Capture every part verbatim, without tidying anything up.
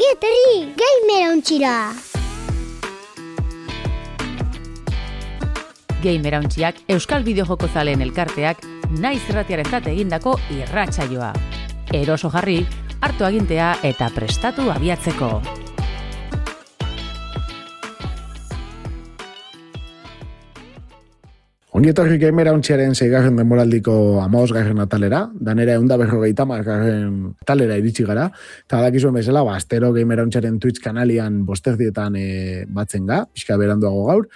Ongi etorri, Gamer Ontxira! Gamer Ontxiak Euskal Bideojoko zaleen elkarteak naiz irratiarentzat egindako irratsaioa. Eroso jarri, hartu agintea eta prestatu abiatzeko. Ongi etorri Gamer Ontxiaren seigarren denboraldiko hamabosgarren atalera, danera ehun eta berrogeita hamargarren atalera iritsi gara, eta dakizuen bezala, ba, astero Gamer Ontxiaren Twitch kanalian bosterdietan e, batzen ga, pixka beranduago gaur,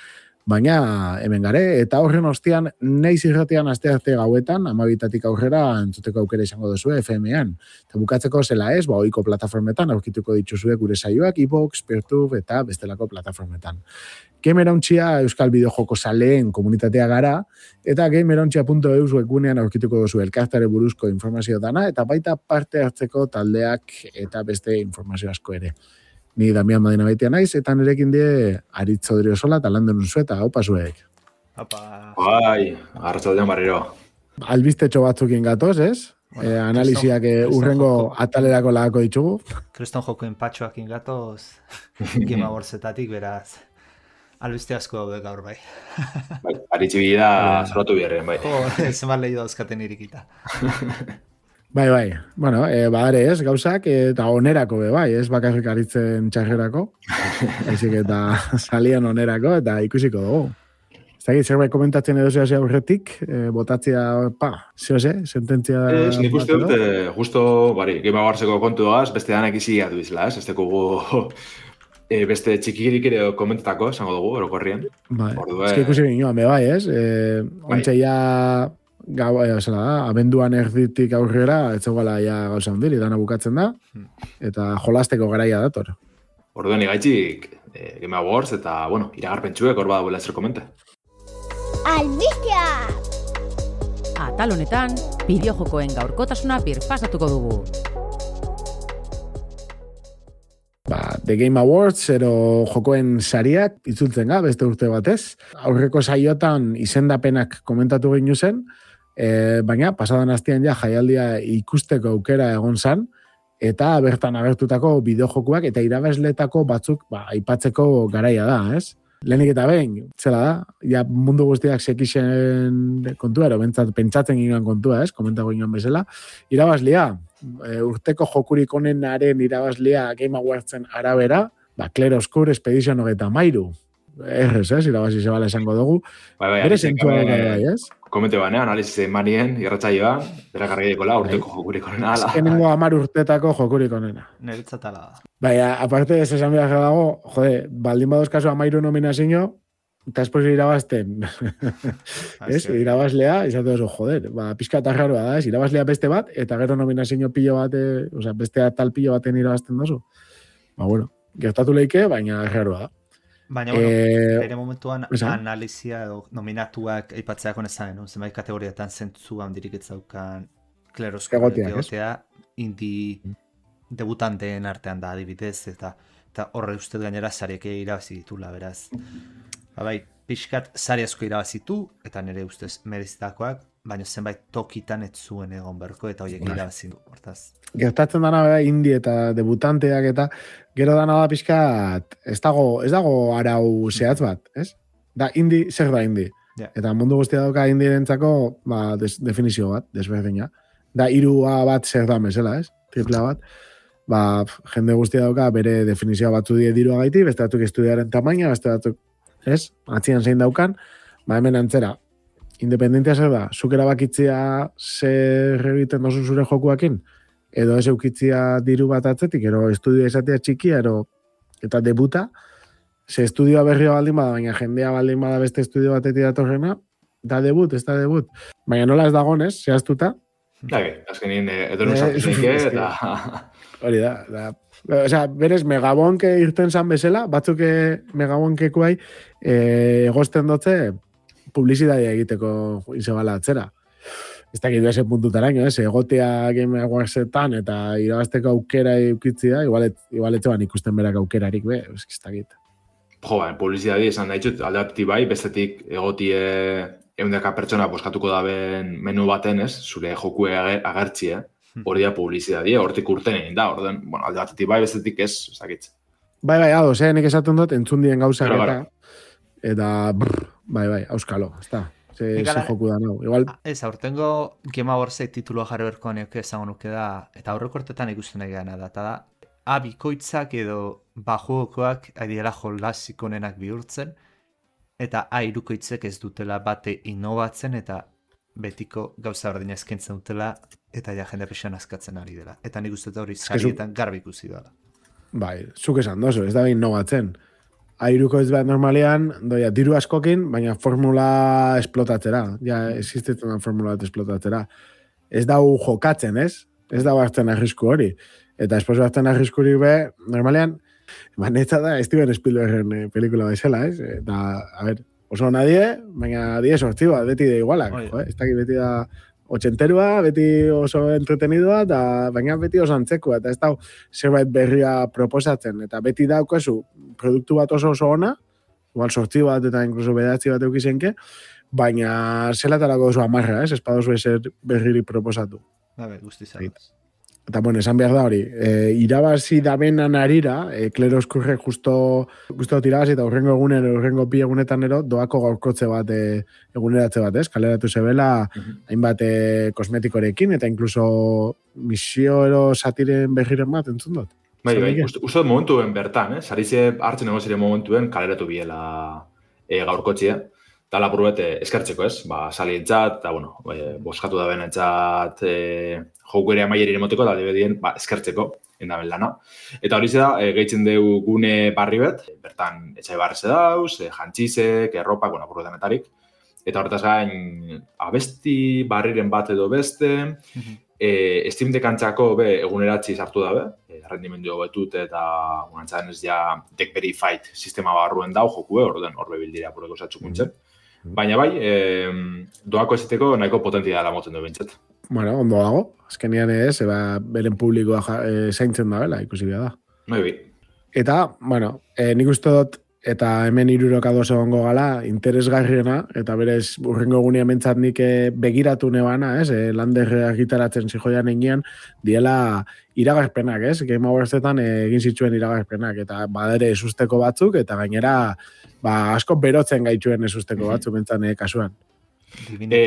baina hemen gare, eta horren ostian naiz irratian aste arte gauetan, amabitatik aurrera entzuteko aukera izango duzue F M-ean. Eta bukatzeko zela ez, ba, ohiko plataformetan aurkituko dituzue gure saioak, iVoox, Peertube eta bestelako plataformetan. Gamer Ontxia Euskal Bideojoko zaleen komunitatea gara, eta gamerontxia puntu e u webgunean aurkituko duzu elkartare buruzko informazio dana, eta baita parte hartzeko taldeak eta beste informazio asko ere. Ni Damian Madina baitea naiz, eta nirekin die Aritz Odriozola eta Lander Unzueta, haupa zuek. Haupa. Bai, arratsaldean barriro. Albistetxo batzukin gatoz, ez? Bueno, eh, analiziak Kriston, urrengo Kriston atalerako lagako ditugu. Kriston jokoen patxoak ingatoz, Game Awardsetatik beraz. Albiste asko daude gaur bai. Bai, aritzi bida zoratu biherren, bai. Jo, zenbat lehi dauzkaten irikita. Bai, bai. Bueno, e, badare ez, gauzak, eta onerako be, bai, ez bakarrik aritzen txarrerako. Ezik eta salian onerako, eta ikusiko dugu. Ez dakit, zerbait komentatzen edo zehazia aurretik, e, botatzea, pa, zeo ze, sententzia... Ez, nik uste dut, justo, bari, Game Awardseko kontu doaz, beste danak izi gatu izela, ez? Ez tekugu... E, beste txikirik ere komentatako, esango dugu, orokorrien. Bai, ez que ikusi ginoan, be, bai, ez? E, bai. Ontxe ja... Gau, e, zela da, abenduan erditik aurrera, ez zegoela ja gauza ondiri, dana bukatzen da, eta jolasteko garaia dator. Orduan igaitxik, e, Game Awards, eta, bueno, iragarpentsuek hor badabuela zer komente. Albistea! Atal honetan, bideojokoen gaurkotasuna birpasatuko dugu. Ba, The Game Awards, ero jokoen sariak, itzultzen ga, beste urte batez. Aurreko saiotan izendapenak komentatu ginu zen, e, baina pasadan astean ja jaialdia ikusteko aukera egon zan, eta bertan agertutako bideojokoak eta irabazletako batzuk ba, aipatzeko garaia da, ez? Lehenik eta behin, zela da, ja mundu guztiak sekixen kontua, ero bentsat, pentsatzen ginoan kontua, ez? Komentako ginoan bezala. Irabazlia, e, urteko jokurik onenaren irabazlia Game Awardsen arabera, ba, Clair Obscur Expedition hogeita mairu. Errez, ez? Irabazi zebala esango dugu. Bai, bai, bere zentua gara, bai, ez? Komente bane, analiz manien, irratzaioa, bera kargaidikola, urteko jokurik onena. Azkenengo amar urtetako jokurik onena. Neretzatala da. Bai, aparte ez esan behar dago, jode, baldin badoz kasu amairu nominazio, eta espoz irabazten, ez? Irabazlea, izate oso, joder, ba, pixka eta raroa da, ez? Irabazlea beste bat, eta gero nominazio pilo bat, o sea, beste tal pilo baten irabazten dozu. Ba, bueno, gertatu leike, baina raroa da. Baina, bueno, eh, ere momentuan esan? Analizia edo nominatuak aipatzeako nezan, no? Zenbait kategoriatan zentzu handirik etzaukan Clair Obscur egotea, indi debutanteen artean da adibidez, eta, eta horre uste gainera sariek irabazi ditula, beraz. Ba, bai, pixkat sari asko irabazitu, eta nire ustez merezitakoak, baina zenbait tokitan ez zuen egon berko, eta horiek irabazi du, hortaz. Gertatzen dana bera indi eta debutanteak eta gero dana da pixkat, ez dago, ez dago arau zehatz bat, ez? Da, indi, zer da indi? Yeah. Eta mundu guztia dauka indirentzako, ba, des, definizio bat, desberdina. Da, hirua bat zer da mesela, ez? Tripla bat. Ba, jende guztia dauka bere definizioa batzu die dirua gaiti, beste batzuk estudiaren tamaina, beste batzuk, ez? Atzian zein daukan, ba, hemen antzera. Independentia zer da, zuk erabakitzea zer egiten dozun zure jokuakin, edo ez eukitzia diru bat atzetik, ero estudioa izatea txikia, ero eta debuta, ze estudioa berria baldin bada, baina jendea baldin bada beste estudio batetik datorrena, da debut, ez da debut. Baina nola ez dagonez, zehaztuta. Dage, azkenin edo nusatuzik, eta... Hori da, da. Osea, berez, megabonke irten zan bezala, batzuk megabonkekuai egosten dotze publizitatea egiteko izabala atzera. Ez dakit du ese puntutaraino, ez? Egotea Game Awardsetan eta irabazteko aukera eukitzia, igual etxeban ikusten berak aukerarik, be, ez dakit. Jo, ba, publizitatea esan daitxut, alde apti bai, bestetik egotie eundeka pertsona boskatuko daben menu baten, ez? Zure joku agertzie, hori da publizidadia, hortik urten egin da, orden, bueno, alde batetik bai, bestetik ez, ez dakit. Bai, bai, hau, zenik esaten dut, entzun dien gauzak Claro, eta, eta, brr, bai, bai, auskalo, ez da, ze, ze Ikala- joku da, no, igual, Ez, aurtengo Game Awardsek titulua jarri berko neoke esango nuke da, eta aurreko urtetan ikusten nahi gana da, eta da, A bikoitzak edo bajuokoak adiela jolasik onenak bihurtzen, eta A hirukoitzek ez dutela bate innovatzen, eta betiko gauza berdina eskaintzen dutela, eta ja jende pixan askatzen ari dela. Eta nik uste dut hori que zu- sarietan garbi ikusi dela. bai, zuk esan dozu, ez da behin innovatzen. Airuko ez bat normalean, doia, diru askokin, baina formula esplotatzera, ja, existitzen da formula bat esplotatzera. Ez dau jokatzen, ez? Ez dau hartzen arrisku hori. Eta esposo hartzen arriskurik be, normalean, manetza da Steven Spielbergen eh, pelikula bezala, ez? Eta, a ver, oso nadie, baina die sortzi bat, beti da igualak, Oie. jo, eh? Ez dakit beti da otxenterua, beti oso entretenidoa, eta baina beti oso antzekua, eta ez da zerbait berria proposatzen, eta beti daukazu produktu bat oso oso ona, igual sortzi bat eta inkluso bedatzi bat eukizenke, baina zelatarako oso amarra, ez? Ez padozu ezer berriri proposatu. Gabe, guzti zagoz. Eta, bueno, esan behar da hori, e, irabazi dabenan arira, e, Klero Eskurre justo, justo tirabazi eta urrengo egunen, urrengo bi egunetan ero, doako gaurkotze bat, e, eguneratze bat, ez? Kaleratu zebela, hainbat e, kosmetikorekin, eta inkluso misio ero satiren berriren bat, entzun dut. Bai, Zer bai, dike? uste uste dut momentuen bertan, eh? Sarize hartzen egon ziren momentuen kaleratu biela e, gaurkotzia. Eta lapur bete eskertzeko, ez? Ba, salientzat, eta, bueno, e, boskatu da benentzat e, joku ere amaieri emoteko, eta debedien, ba, eskertzeko, endaben lana. Eta hori da, e, gehitzen dugu gune barri bet, bertan etxai barreze dauz, e, jantxizek, erropak, bueno, apur denetarik. Eta horretaz gain, abesti barriren bat edo beste, e, Steam Dekantzako be eguneratzi sartu dabe, e, rendimendu hobetut eta unantzaren ez ja Deck Verified sistema barruen dau jokue, orden horbe bildira apureko zatxukuntzen. Baina bai, e, doako ezeteko nahiko potentia dela moten du bintzat. Bueno, ondo dago, azkenian ez, eba, beren publikoa ja, e, zaintzen da, bela, ikusi behar da. Bai, bai. Eta, bueno, e, nik uste dut, eta hemen hirurok ados egongo gala, interesgarriena, eta berez urrengo egunia mentzat nik eh, begiratu nebana, ez, e, landerreak gitaratzen zijoian egian, diela iragarpenak, ez, Game Awards-etan eh, egin zituen iragarpenak, eta badere esusteko batzuk, eta gainera, ba, asko berotzen gaituen esusteko batzuk mentzan eh, kasuan. E,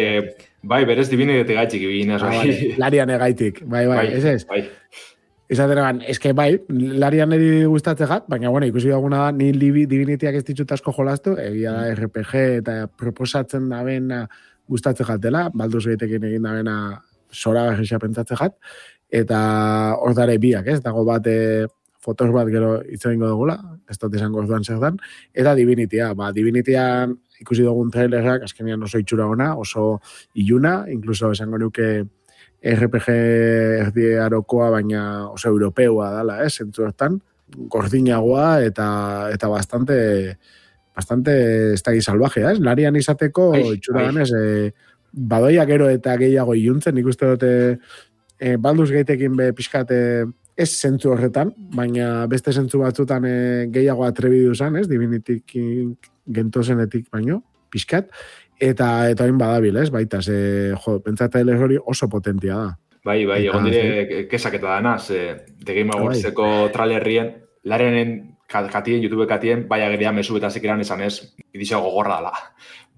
bai, berez dibinetik gaitxik ibinez, Ah, bai. vale. Larian egaitik, bai, bai, ez ez? Bai. Izatenean, eske bai, larian eri gustatze gat, baina, bueno, ikusi duguna da, ni libi, divinitiak ez ditut asko jolastu, egia da R P G eta proposatzen da bena gustatze jatela, Baldur's Gateekin egin da bena zora garrisa pentsatze jat, eta hor dare biak, ez? Dago bat, e, fotos bat gero hitz egingo dugula, ez dut esango orduan zer dan, eta Divinitia, ba, Divinitian ikusi dugun trailerrak, azkenean oso itxura ona, oso iluna, incluso esango nuke R P G erdi arokoa, baina oso europeua dala, eh, zentzu hortan, gordinagoa eta eta bastante bastante ez da salvajea, ez? Larian izateko Ai, itxura ai. ganez, eh, badoia gero eta gehiago iluntzen, nik uste dute eh, Baldur's Gateekin be pixkate ez zentzu horretan, baina beste zentzu batzutan eh, gehiago atrebidu zan, ez? Divinitik gentozenetik baino, pixkat, eta eta hain badabil, ez? Baita, ze, jo, pentsatzaile hori oso potentia da. Bai, bai, Eta, egon dire kesaketa dana, ze The Game Awardseko trailerrien, larenen katien, YouTube katien, bai ageria mesu eta zekiran esan ez, idizio gogorra dela.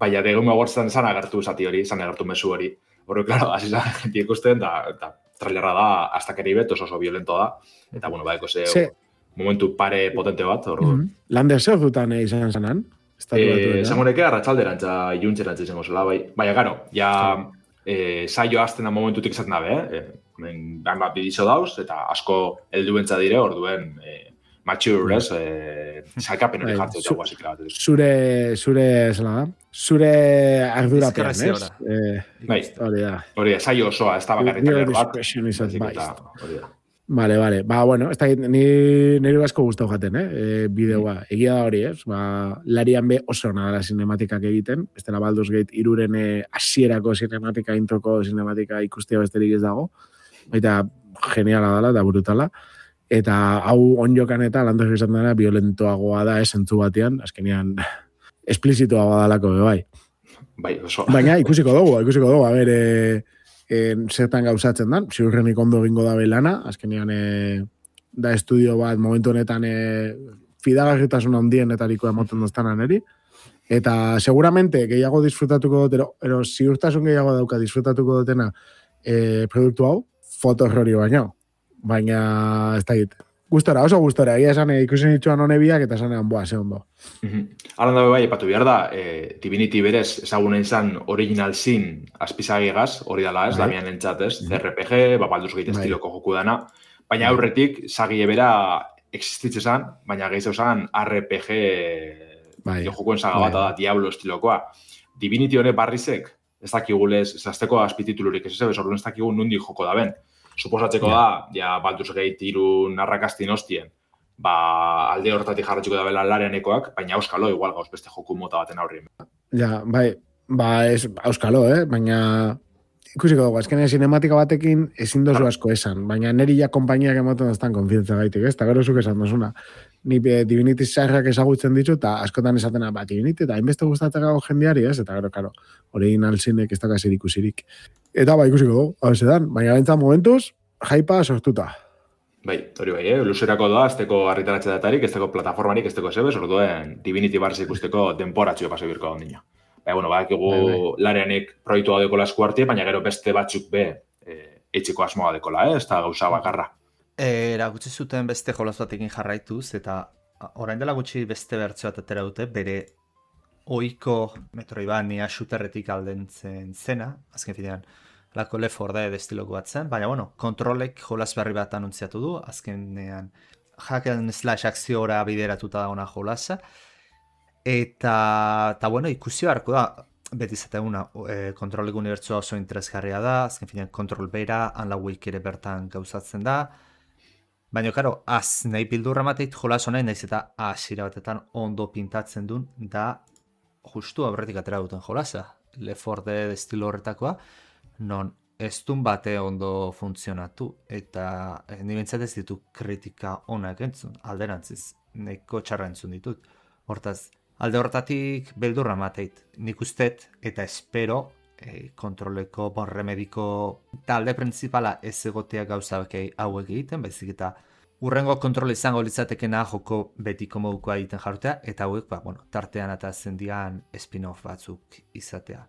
Baina The Game Awardsen zan agertu zati hori, zan agertu mesu hori. Horre, klaro, hasi zan jenti ikusten, eta trailerra da, hasta keribet, oso oso violento da. Eta, bueno, baiko ze, Ze- momentu pare potente bat, hor. Mm -hmm. Lander zer dutan eh, izan zanan? Eh, esango neke arratsalderantza iluntxerantza izango zela, bai. Baina, garo, ja eh, saio azten da momentutik izaten dabe, eh? Hemen bat bidizo dauz, eta asko helduentza dire, orduen eh, mature, ez? Eh, salkapen hori Bai, jartzen zu- dut guazik bat. Zure, zure, zela da? Zure ardurapean, ez? Diskrezioa. Eh, Bai, hori da. hori da, saio osoa, ez da bakarrik Your trailer bat. discretion is baizik eta advised. hori da. Vale, vale. Ba, bueno, ez da, ni nire asko gustau jaten, eh? E, bideoa. Egia da hori, ez? Ba, larian be oso ona dela sinematikak egiten. Ez dela Baldur's Gate iruren eh, hasierako sinematika, introko sinematika ikustea besterik ez dago. Baita, geniala dela, da brutala. Eta hau onjokan eta landak izan dena violentoagoa da, esentzu batean, azkenean esplizitoagoa dalako, be, bai. Bai, oso. Baina ikusiko dugu, ikusiko dugu. A ber, e, e, zertan gauzatzen dan, ziurrenik ondo egingo da belana, azkenean e, da estudio bat momentu honetan e, fidagarritasun handienetariko emoten doztanan eri, eta seguramente gehiago disfrutatuko dut, ero, ero ziurtasun gehiago dauka disfrutatuko dutena e, produktu hau, foto errori baino, baina ez da egite. Gustora, oso gustora, egia esan ikusen itxuan honebiak eta esanean, boa, ze ondo. Mm-hmm. Aran dabe bai, epatu behar da, e, Divinity berez, ezagunen izan Original Sin azpizagigaz, hori dala ez, Damian entzat ez, C R P G, Baldur's Gate estiloko joku dana, baina aurretik, zagi ebera existitze zan, baina gehiago zan R P G jokuen saga bat da, Diablo estilokoa. Divinity hone barrizek, ez dakigulez, ez azteko azpititulurik ez ez, orduan ez dakigu nundi joko da ben. Suposatzeko yeah. da, ja, Baldur's Gate irun arrakastin hostien, ba, alde hortatik jarratxiko da bela larenekoak, baina auskalo, igual gauz beste joku mota baten aurrien. Ja, bai, ba, ez auskalo, eh? Baina ikusiko dugu, azkenean sinematika batekin ezin dozu asko esan, baina neri ja konpainiak ematen daztan konfientza gaitik, ez? Eta gero zuk esan dozuna. Ni Divinity zaharrak ezagutzen ditu, eta askotan esatena, ba, Divinity, eta hainbeste gustatzeko jendeari, ez? Eta gero, karo, Original Sinek ez dakasir ikusirik. Eta ba, ikusiko dugu, hau ezetan, baina bentzan momentuz, jaipa sortuta. Bai, hori bai, eh? Luzerako doa, azteko argitaratxe datarik, azteko plataformarik, azteko zebez, orduen Divinity Bars ikusteko denporatxo pase birko ondino. Baina, bueno, bakigu bai, bai. Lareanik proiektua dekola esku hartie, baina gero beste batzuk be e, etxeko asmoa dekola, eh? Ez da gauza bakarra. Era gutxi zuten beste jolaz batekin jarraituz, eta orain dela gutxi beste bertzio bat atera dute, bere oiko Metroidvania shooterretik aldentzen zena, azken finean, lako Left four Dead estiloko bat zen, baina, bueno, kontrolek jolaz berri bat anuntziatu du, azkenean hack and slash akziora bideratuta da ona jolaza, eta, eta bueno, ikusi beharko da, beti zateguna, e, kontrolek unibertsua oso interesgarria da, azken finean kontrol bera, Unlawake ere bertan gauzatzen da, baina, karo, az nahi bildurra mateit jolas honain, naiz eta asira batetan ondo pintatzen duen, da justu aurretik atera duten jolasa, Left four Dead estilo horretakoa, non ez dun bate ondo funtzionatu, eta eh, nibentzat ez ditu kritika onak entzun, alderantziz, neko txarra entzun ditut. Hortaz, alde hortatik beldurra mateit, nik ustet, eta espero, eh, kontroleko bon remediko talde principala ez egotea gauza hauek egiten, baizik eta urrengo kontrol izango litzatekena joko betiko modukoa egiten jartea, eta hauek, ba, bueno, tartean eta zendian spin-off batzuk izatea.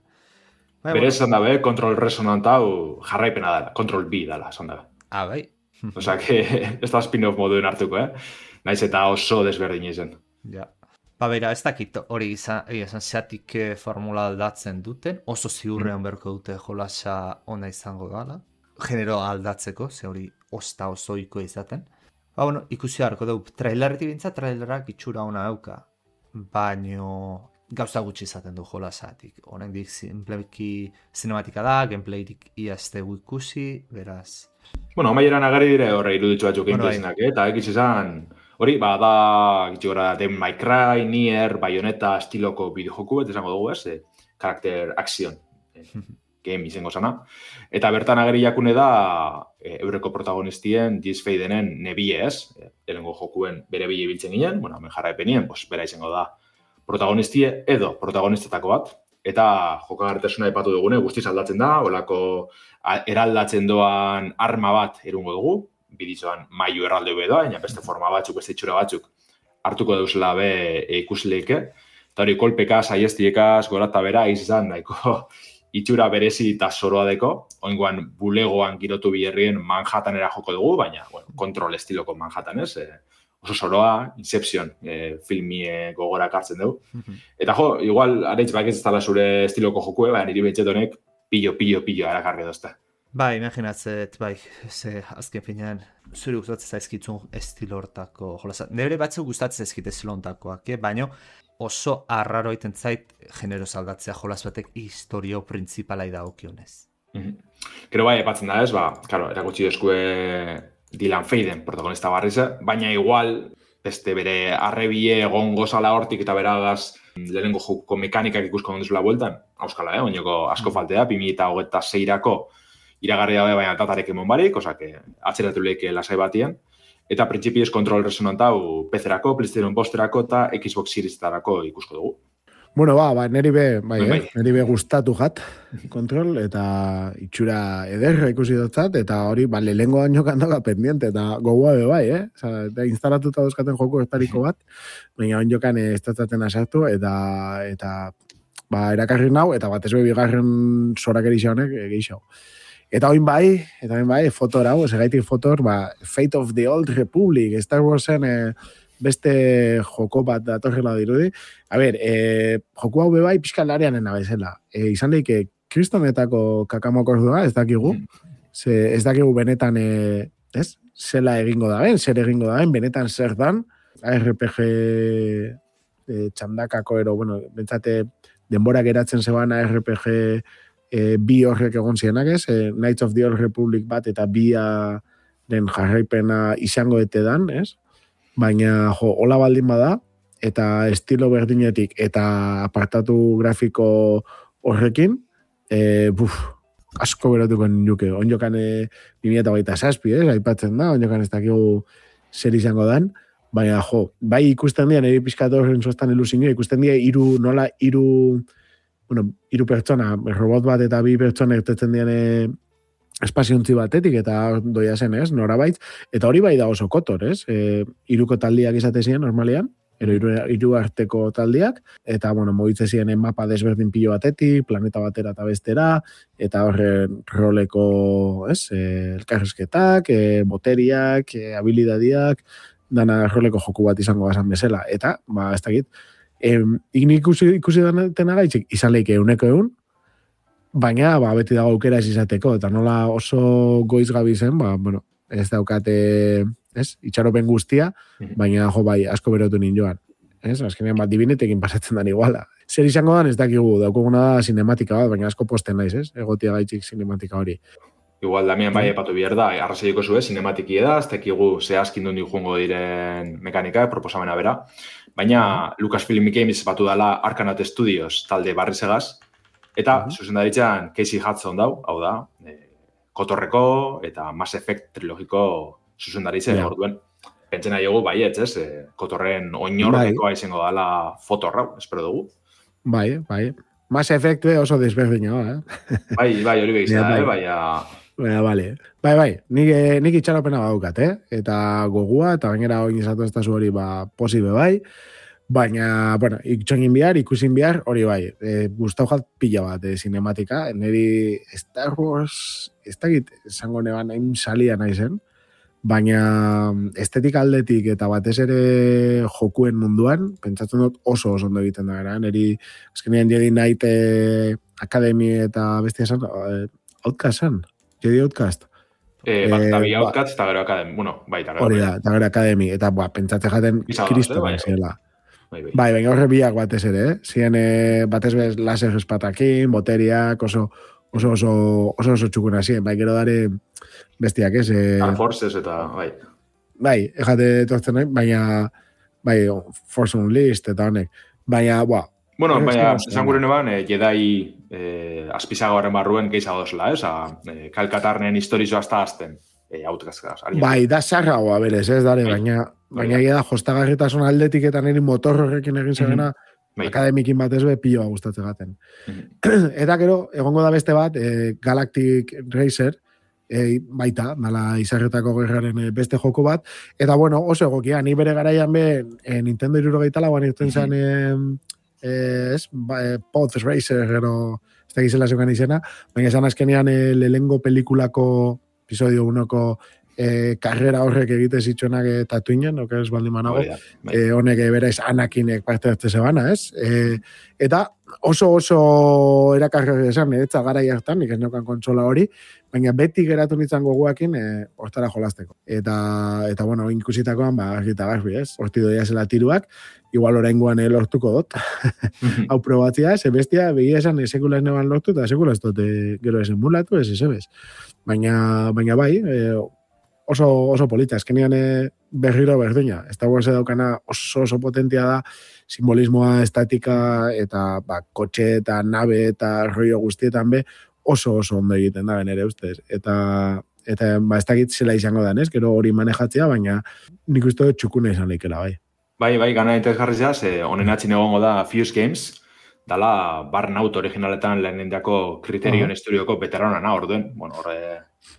Bai, Bere esan dabe, kontrol resonant hau jarraipena dela, kontrol B dela, esan dabe. Ah, bai. Osa, que ez da spin-off moduen hartuko, eh? Naiz eta oso desberdin izen. Ja. Ba, bera, ez dakit hori izan, izan zeatik formula aldatzen duten, oso ziurrean mm. berko dute jolasa ona izango dela, genero aldatzeko, ze hori osta osoiko izaten. Ba, bueno, ikusi harko dugu, trailerretik bintza, trailerak itxura ona dauka, baino gauza gutxi izaten du jolasatik. Honen dik simpleki cinematika da, gameplaytik iazte ikusi, beraz. Bueno, amaieran agari dire horre iruditzu batzuk gameplayinak, eh? Eta ekiz izan, hori, ba, da, gitxi gora, Devil May Cry, Nier, Bayonetta estiloko bideojoku, eta esango dugu, ez? Eh? Karakter action game izango zana. Eta bertan agari jakune da, e, eureko protagonistien Diz Feidenen nebie, ez? E, elengo jokuen bere bile biltzen ginen, bueno, hemen jarraipenien, pues, bera izango da protagonistie edo protagonistetako bat, eta jokagarritasuna aipatu dugune, guztiz aldatzen da, olako eraldatzen doan arma bat erungo dugu, bidizoan mailu erralde bedoa, baina beste forma batzuk, beste itxura batzuk hartuko deuzela be e, ikusleike, eta hori kolpeka, saiestiekaz, gorata bera, izan daiko itxura berezi eta zoroa deko, oingoan bulegoan girotu biherrien Manhattanera joko dugu, baina bueno, kontrol estiloko Manhattan, ez? E, oso zoroa, Inception e, filmie gogora kartzen dugu. Eta jo, igual, areitz bak ez dala zure estiloko jokue, baina niri betxet honek pillo, pillo, pillo arakarri dozta. Bai, imaginatzet, bai, ze azken finean, zure gustatzen zaizkitzun estilo hortako jolasa. Nebre batzuk gustatzen zaizkit estilo hortakoak, eh? Baina oso arraro egiten zait genero aldatzea jolas batek historio printzipalai dagokionez. Mm-hmm. Gero bai, epatzen da ez, ba, claro, erakutsi deskue Dylan Feiden, protagonista barriz, baina igual, beste bere arrebie egon gozala hortik eta beragaz lehenengo joko mekanikak ikusko onduzula bueltan, auskala, eh, oinoko asko faltea, bi mila hogeita seirako iragarri dabe baina datarek emon barik, osak, atzeratu lehike lasai batien, eta printzipioz kontrol resonant hau P C-erako, PlayStation Posterako eta Xbox Series-etarako ikusko dugu. Bueno, ba, ba, neri be, bai, bai, bai. Eh? neri be gustatu jat, kontrol, eta itxura ederra ikusi dutzat, eta hori, ba, lehengo baino kandoka pendiente, eta gogoa be bai, eh? Osa, eta instalatuta dauzkaten joko estariko bat, baina on jokan ez tatzaten asartu, eta, eta, ba, erakarri nau, eta bat ez be bigarren zorak erixa honek, egeixau. Eta oin bai, eta oin bai, fotor hau, segaitik fotor, ba, Fate of the Old Republic, Star Warsen, eh, beste joko bat datorrela dirudi. A ber, e, joko hau bebai pixka lareanen abezela. E, izan daike, kristonetako kakamokordua, ez dakigu. Ze, ez dakigu benetan, e, ez? Zela egingo da ben, zer egingo da ben, benetan zer dan. A R P G e, txandakako ero, bueno, bentsate denbora geratzen zeban A R P G e, bi horrek egon zienak ez, e, Knights of the Old Republic bat eta bia den jarraipena izango ete dan, ez? Baina, jo, hola baldin bada, eta estilo berdinetik, eta apartatu grafiko horrekin, e, buf, asko beratuko nuke. Onjokan e, bi mila hogeita zazpi, eh, aipatzen da, onjokan ez dakigu zer izango dan, baina, jo, bai ikusten dira, nire pizkatu horren zoztan ilusinio, ikusten dira, iru, nola, iru, bueno, iru pertsona, robot bat eta bi pertsona ertetzen dian espaziontzi batetik eta doia zen, ez, norabait, eta hori bai da oso kotor, ez, e, iruko taldiak izate ziren, normalean, ero iru, iru arteko taldiak, eta, bueno, mogitze ziren mapa desberdin pilo batetik, planeta batera eta bestera, eta horren roleko, ez, e, elkarrezketak, e, boteriak, e, habilidadiak, dana roleko joku bat izango bazan bezala, eta, ba, ez dakit, e, ignik ikusi, ikusi dena gaitxik, izan leike euneko eun, baina, ba, beti dago aukera ez izateko, eta nola oso goiz gabi zen, ba, bueno, ez daukate, ez, itxaropen guztia, baina, jo, bai, asko berotu ninjoan. Ez, azkenean, bat, dibinetekin pasatzen dan iguala. Zer izango dan, ez dakigu, daukuguna da sinematika bat, baina asko posten naiz, ez, egotia gaitxik sinematika hori. Igual, Damian, bai, epatu bihar da, arrasaiko zue, sinematiki da, ez dakigu zehazkin dundi joango diren mekanika, proposamena bera, baina Lucasfilm Games batu dela Arcanat Studios talde barrizegaz, eta, uh-huh. zuzendaritzan, Casey Hudson dau, hau da, e, Kotorreko eta Mass Effect trilogiko zuzendaritzen, yeah. Orduen, pentsena dugu, bai, ez, ez, e, Kotorren oinordekoa bai. Izango dela fotorra, espero dugu. Bai, bai. Mass Effect oso desberdina, eh? Bai, bai, hori behiz da, eh, bai, Baina, bale. Bai, bai, nik, nik itxaropena badaukat, eh? Eta gogua, eta gainera hori izatu ez da zu hori, ba, posibe bai. Baina, bueno, itxongin bihar, ikusin bihar, hori bai, e, gustau jat pila bat, e, sinematika, niri Star Wars, ez dakit, esango neban hain salia nahi zen, baina estetika aldetik eta batez ere jokuen munduan, pentsatzen dut oso oso ondo egiten da gara, niri, azkenean Jedi Knight e, Academy eta bestia esan, e, Outcast zen, Jedi Outcast. Eh, bat, eta bi Outcast eta gero Academy, bueno, bai, eta gero. Hori da, eta gero Academy, eta ba, pentsatzen jaten kristoan zela. Bai, bai. bai, baina horre biak batez ere, eh? Zien eh, batez bez laser espatakin, boteriak, oso oso oso oso, oso txukuna zien, bai, gero dare bestiak, ez? Eh, Dark Forces eta, bai. Bai, ejate tortzen nahi, baina, bai, Force Unleashed eta honek, baina, ba. Bueno, baina, esan gure neban, eh, Jedi eh, azpizagoaren barruen gehiago dozela, eh? Osa, eh, Kalkatarnen historizo hasta azten. Outcast. Bai, da zarrago, a berez, ez dare, baina baina da jostagarritasun aldetik eta niri motor horrekin egin zegena mm-hmm. Akademikin batez be piloa gustatzen gaten. Mm-hmm. Eta gero, egongo da beste bat, e, Galactic Racer, e, baita, mala izarretako gerraren beste joko bat, eta bueno, oso egokia, ni bere garaian be, e, Nintendo hirurogeita lauan irten zen, mm-hmm. e, ez, ba, e, Pod Racer, gero, ez da gizela zeukan izena, baina esan azkenean e, lehengo pelikulako episodio unoko eh, karrera horrek egite zitsuenak eh, Tatooinen, oke ez baldin manago, eh, honek berez Anakinek parte hartze zebana, ez? Eh, eta oso oso erakargarri esan, etza garai hartan, nik ez neukan kontsola hori, baina beti geratu nintzen goguakin eh, hortara jolasteko. Eta, eta bueno, inkusitakoan, ba, argita garbi, ez? Horti doia zela tiruak, igual oraingoan eh, lortuko dut. Hau probatzia, ze bestia, begia esan, sekula ez neban lortu, eta sekula ez dut, eh, gero ez emulatu, ez ez Baina, baina bai, eh, oso, oso polita, eskenean eh, berriro berdina. Star Wars daukana oso oso potentia da, simbolismoa, estatika, eta ba, kotxe eta nabe eta rollo guztietan be, oso oso ondo egiten da, benere ustez. Eta, eta ba, ez dakit zela izango da, ez? Gero hori manejatzea, baina nik uste dut txukuna izan leikela, bai. Bai, bai, gana interesgarri zaz, eh, honen atxin egongo da Fuse Games, dala Burnout originaletan lehenendako Criterion uh-huh. Studioko veteranana, orduen, bueno, horre,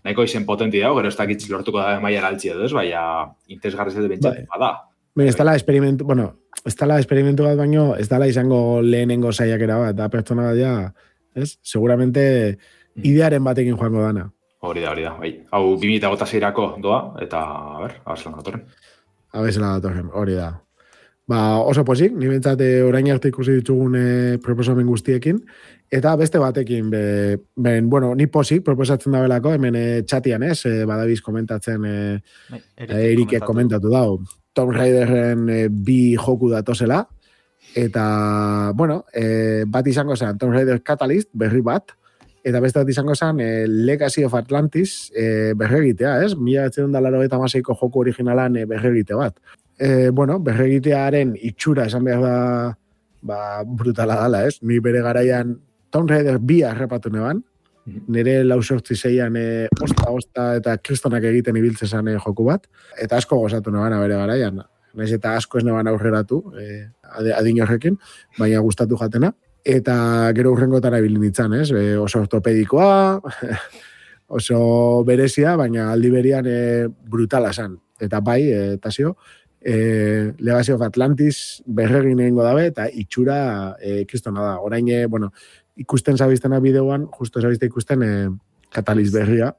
nahiko izen potenti dago, gero ez dakitz lortuko da maiara altzi edo ez, baina interesgarri zede bentsat, bada. Ben, ez dala experimentu, bueno, ez dala experimentu bat baino, ez dala izango lehenengo saiakera bat, da pertsona bat ja, ez? Seguramente idearen batekin joango dana. Hori da, hori da, bai. Hau, bi mila hogeita seirako doa, eta, a ber, abezela datorren. Abezela datorren, hori da. Ba, oso posik, ni bentsat orain arte ikusi ditugun e, proposamen guztiekin, eta beste batekin, be, ben, bueno, ni posik proposatzen da belako, hemen e, txatian ez, e, badabiz komentatzen, e, Erikek komentatu dau, Tomb Raiderren e, bi joku datozela, eta, bueno, e, bat izango zen, Tomb Raider Catalyst, berri bat, eta beste bat izango zen, e, Legacy of Atlantis e, berregitea, ez? Mila batzen da laro eta maseiko joku originalan e, berregite bat. E, bueno, berregitearen itxura esan behar da ba, brutala dala, ez? Ni bere garaian Tomb Raider bi arrepatu neban, nire lau sortzi zeian e, osta, osta eta kristonak egiten ibiltzezan e, joku bat, eta asko gozatu neban bere garaian. Naiz eta asko ez neban aurreratu, e, adin horrekin, baina gustatu jatena. Eta gero urrengotara ibilin ditzan, ez? E, oso ortopedikoa, oso berezia, baina aldi berian e, brutala zan. Eta bai, e, Tasio, e, Legacy of Atlantis berregin egingo dabe, eta itxura e, kristona da. Orain, e, bueno, ikusten zabiztena bideoan, justo zabizte ikusten e, Catalyst berria,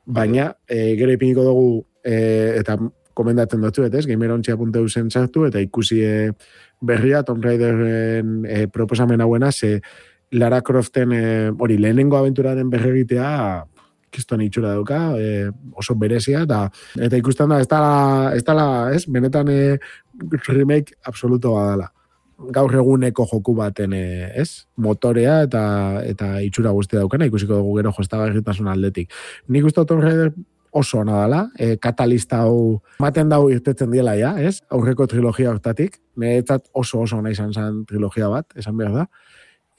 baina e, gero ipiniko dugu, e, eta komendatzen dutzu, ez? gamerontxea puntu e u zen sartu, eta ikusi e, berria, Tomb Raiderren e, proposamen hauena, ze Lara Croften hori e, lehenengo aventuraren berregitea kiston itxura dauka, e, oso berezia, eta, eta ikusten da, ez dala, ez dala, ez, benetan e, remake absoluto badala. Gaur eguneko joku baten, e, ez, motorea eta eta itxura guztia daukana, ikusiko dugu gero jostagarritasun aldetik. Nik uste Tomb Raider oso ona dela, e, katalista hau maten dau irtetzen diela ja, ez? Aurreko trilogia hortatik, niretzat oso oso ona izan zen trilogia bat, esan behar da.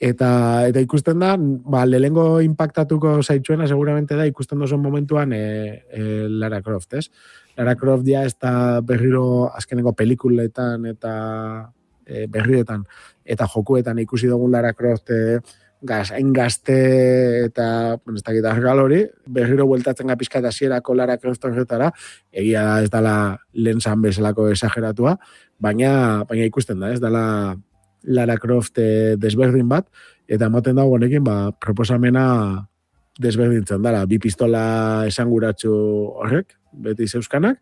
Eta, eta ikusten da, ba, lehengo impactatuko zaitsuena seguramente da, ikusten dozuen momentuan e, e, Lara Croft, ez? Lara Croft ja ez da berriro azkeneko pelikuletan eta e, berrietan eta jokuetan ikusi dugun Lara Croft e, gaz, hain gazte eta, bueno, ez dakit argal hori, berriro bueltatzen gapizka eta zierako Lara Croft horretara, egia da ez dala lehen zan bezalako exageratua, baina, baina ikusten da, ez dala Lara Croft e, desberdin bat, eta moten dago honekin, ba, proposamena desberdintzen dela, bi pistola esanguratsu horrek, beti zeuskanak,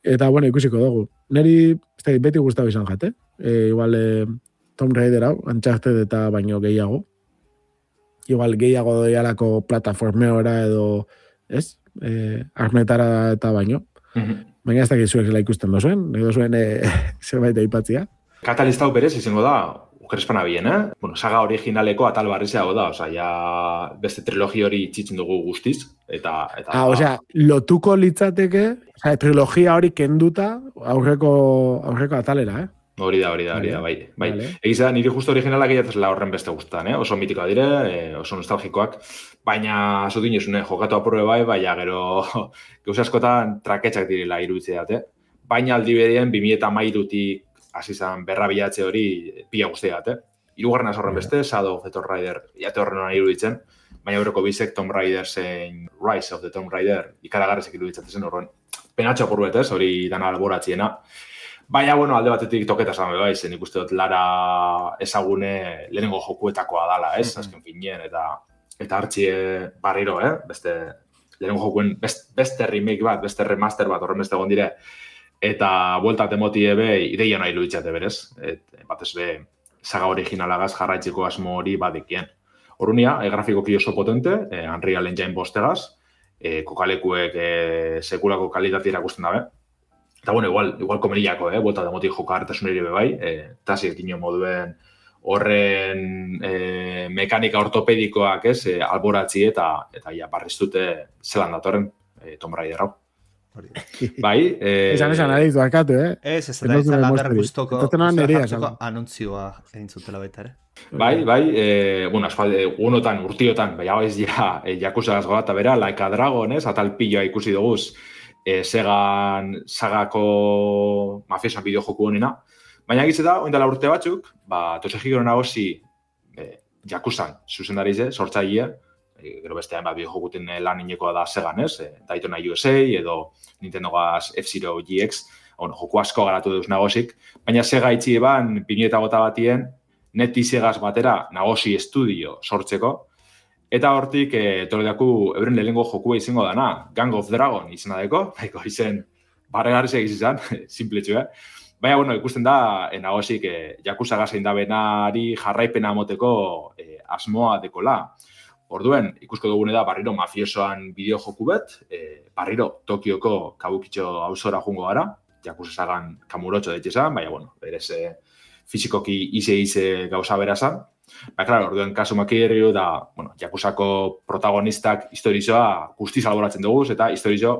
eta, bueno, ikusiko dugu. Neri, ez da, beti gustatu izan jate, e, igual, e, Tomb Raider hau, Uncharted eta baino gehiago, igual gehiago doialako plataformeora edo, ez, e, armetara eta baino, mm-hmm. Baina ez dakit zuek zela ikusten dozuen, edo zuen e, zerbait aipatzia. Katalista hau berez izango da, ukerespana bien, eh? Bueno, saga originaleko atal barrizeago da, osea, ja beste trilogi hori itxitzen dugu guztiz, eta... eta ah, osea, lotuko litzateke, osea, trilogia hori kenduta aurreko, aurreko atalera, eh? Hori da, hori da, hori da, bai. bai. Vale. Egiz da, niri justo originalak egiatzela horren beste guztan, eh? Oso mitikoa dire, eh, oso nostalgikoak, baina zutin jesune, jokatu apurre bai, baina gero gauz askotan traketxak direla iruditzeat, eh? Baina aldi bedien, bi mila hamairutik hasi zan berra bilatze hori pila guztiat, eh? Hirugarren horren beste, Shadow of the Tomb Raider, jate horren hona iruditzen, baina horreko bizek Tomb Raider zein Rise of the Tomb Raider ikaragarrezek iruditzatzen zen horren. Penatxo apur betez, hori dana alboratziena. Baina, bueno, alde batetik toketa zan bai, zen ikuste dut Lara ezagune lehenengo jokuetakoa dala, ez? Mm-hmm. Azken finien, eta eta hartxie barriro, eh? Beste, lehenengo jokuen best, beste remake bat, beste remaster bat, horren beste egon dire, eta bueltat emoti ebe ideia nahi luitzate berez, et, batez be saga originalagaz jarraitzeko asmo hori badikien. Horunia, e, grafikoki oso potente, e, Unreal Engine bostegaz, e, kokalekuek e, sekulako kalitatea irakusten dabe. Eta bueno, igual, igual komeriako, eh, bueltat emoti jokartasun ere bai, e, tasik ino moduen horren e, mekanika ortopedikoak ez, e, alboratzi eta eta ja barriztute zelan datorren e, Tomb Raider hau. Bai, eh... Esan esan adiz, barkatu, eh? Ez, ez da, ez da lander guztoko anuntzioa egin zutela baita, ere? Bai, bai, eh, bueno, asfalde, unotan, urtiotan, bai, hau ez ja, eh, jakusagaz gota bera, Like a Dragon, ez? Atal pilloa ikusi duguz, eh, Segan sagako mafiosan bideojoku honena. Baina egize da, oindala urte batzuk, ba, Toshihiro Nagoshi e, Jakuzan zuzendari ze, sortzaile, e, gero beste hainbat bideojokuten lan inekoa da Segan, ez? E, Daytona U S A edo Nintendo Gas F-Zero G X, bueno, joku asko garatu deuz nagosik, baina Sega itxi eban, bi mila eta hogeita batien, Neti Segaz batera nagosi estudio sortzeko, eta hortik, e, toledaku euren lehenengo jokua izango dana, Gang of Dragon izena deko, baiko izen barregarri segiz izan, simpletxu, eh? Baina, bueno, ikusten da, e, nagosik, e, Yakuza gazein da benari jarraipena moteko e, asmoa dekola. Orduen, ikusko dugune da, barriro mafiosoan bideo joku bet, e, barriro Tokioko kabukitxo hausora jungo gara, Yakuza sagan kamurotxo detxezan, baina, bueno, berez e, fizikoki ize-ize gauza berazan. Ba, klaro, orduen kasu makirriu da, bueno, Yakuzako protagonistak historizoa guztiz alboratzen dugu, eta historizo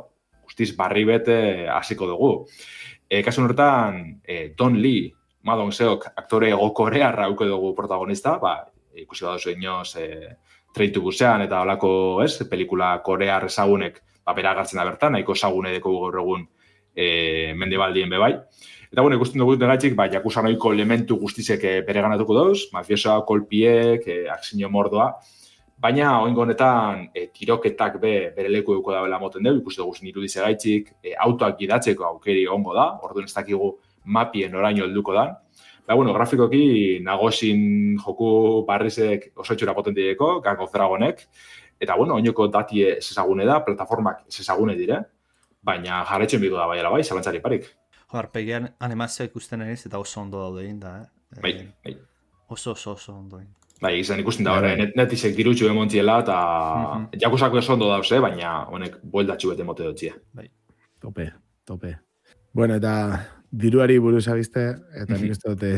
guztiz barri bete hasiko dugu. E, kasu horretan, e, Don Lee, Ma Dong-seok, aktore ego-korearra auko dugu protagonista, ba, ikusi baduzu inoz, e, Train to Busan eta olako, ez, pelikula korear ezagunek, ba, bera agartzen da bertan, nahiko ezagune deko gaur egun e, mendebaldien bebai. Eta, bueno, ikusten dugu degatxik, ba, Yakuza noiko elementu guztizek bere ganatuko dauz, mafiosoa, kolpiek, e, aksinio mordoa, baina, oingo honetan, e, tiroketak be, bere leku euko da bela moten dugu, ikusten dugu nirudize gaitxik, e, autoak gidatzeko aukeri ongo da, orduan ez dakigu mapien oraino helduko da. Ba, bueno, grafikoki nagosin joku barrizek oso etxura potentieko, Gang of Dragonek, eta, bueno, oinoko datie zezagune da, plataformak zezagune dire, baina jarretxen bidu da baiala bai, zalantzari parik. Arpegian animazioa ikusten eriz eta oso ondo daude egin da, eh? Bai, bai. Oso, oso, oso ondo egin. Bai, izan ikusten da horre, net, netizek dirutxu emontziela eta mm-hmm. Jakuzako oso ondo dauz, baina honek bueltatxu bete mote dutxia. Bai. Tope, tope. Bueno, eta diruari buruz abizte, eta nik uste dute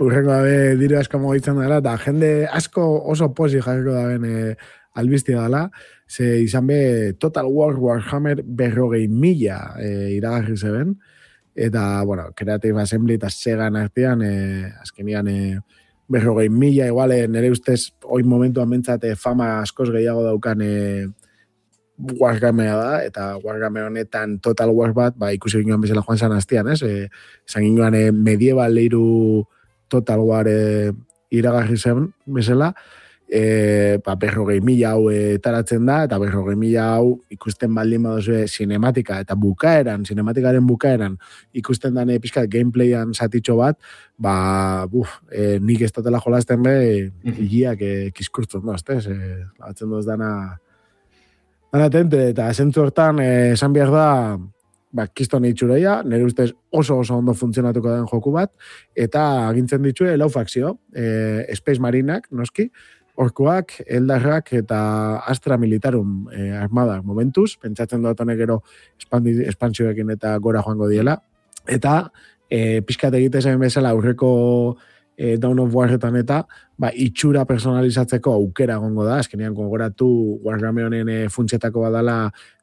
urrengo dabe diru asko mogitzen dela, eta jende asko oso posi jarriko daben e, albiztia dela, ze izan be Total War Warhammer berrogei mila e, iragarri zeben, eta, bueno, Creative Assembly eta Segan artean, e, azkenian, e, berrogei mila, igual, e, nire ustez, oin momentuan mentzate fama askoz gehiago daukan e, Wargamea da, eta Wargamea honetan Total War bat, ba, ikusi ginoan bezala joan zan hastian, ez? E, zan ginoan e, medieval leiru Total War e, iragarri zen bezala, e, ba, berrogei mila hau e, taratzen da, eta berrogei mila hau ikusten baldin baduzue sinematika, eta bukaeran, sinematikaren bukaeran, ikusten dane pixkat gameplayan zatitxo bat, ba, buf, e, nik ez totela jolazten be, higiak e, kiskurtzen doz, ez? E, batzen doz dana Anatente, eta esentzu hortan, eh, esan behar da, ba, kiston itxureia, nire ustez oso oso ondo funtzionatuko den joku bat, eta agintzen ditue lau fakzio, eh, Space Marinak, noski, orkuak, eldarrak eta Astra Militarum eh, armadak momentuz, pentsatzen dut honek gero espantzioekin eta gora joango diela, eta eh, pixkat egite zen bezala aurreko E, Dawn of Warretan eta ba, itxura personalizatzeko aukera gongo da, azkenean gogoratu Wargaming honen e, funtsetako badala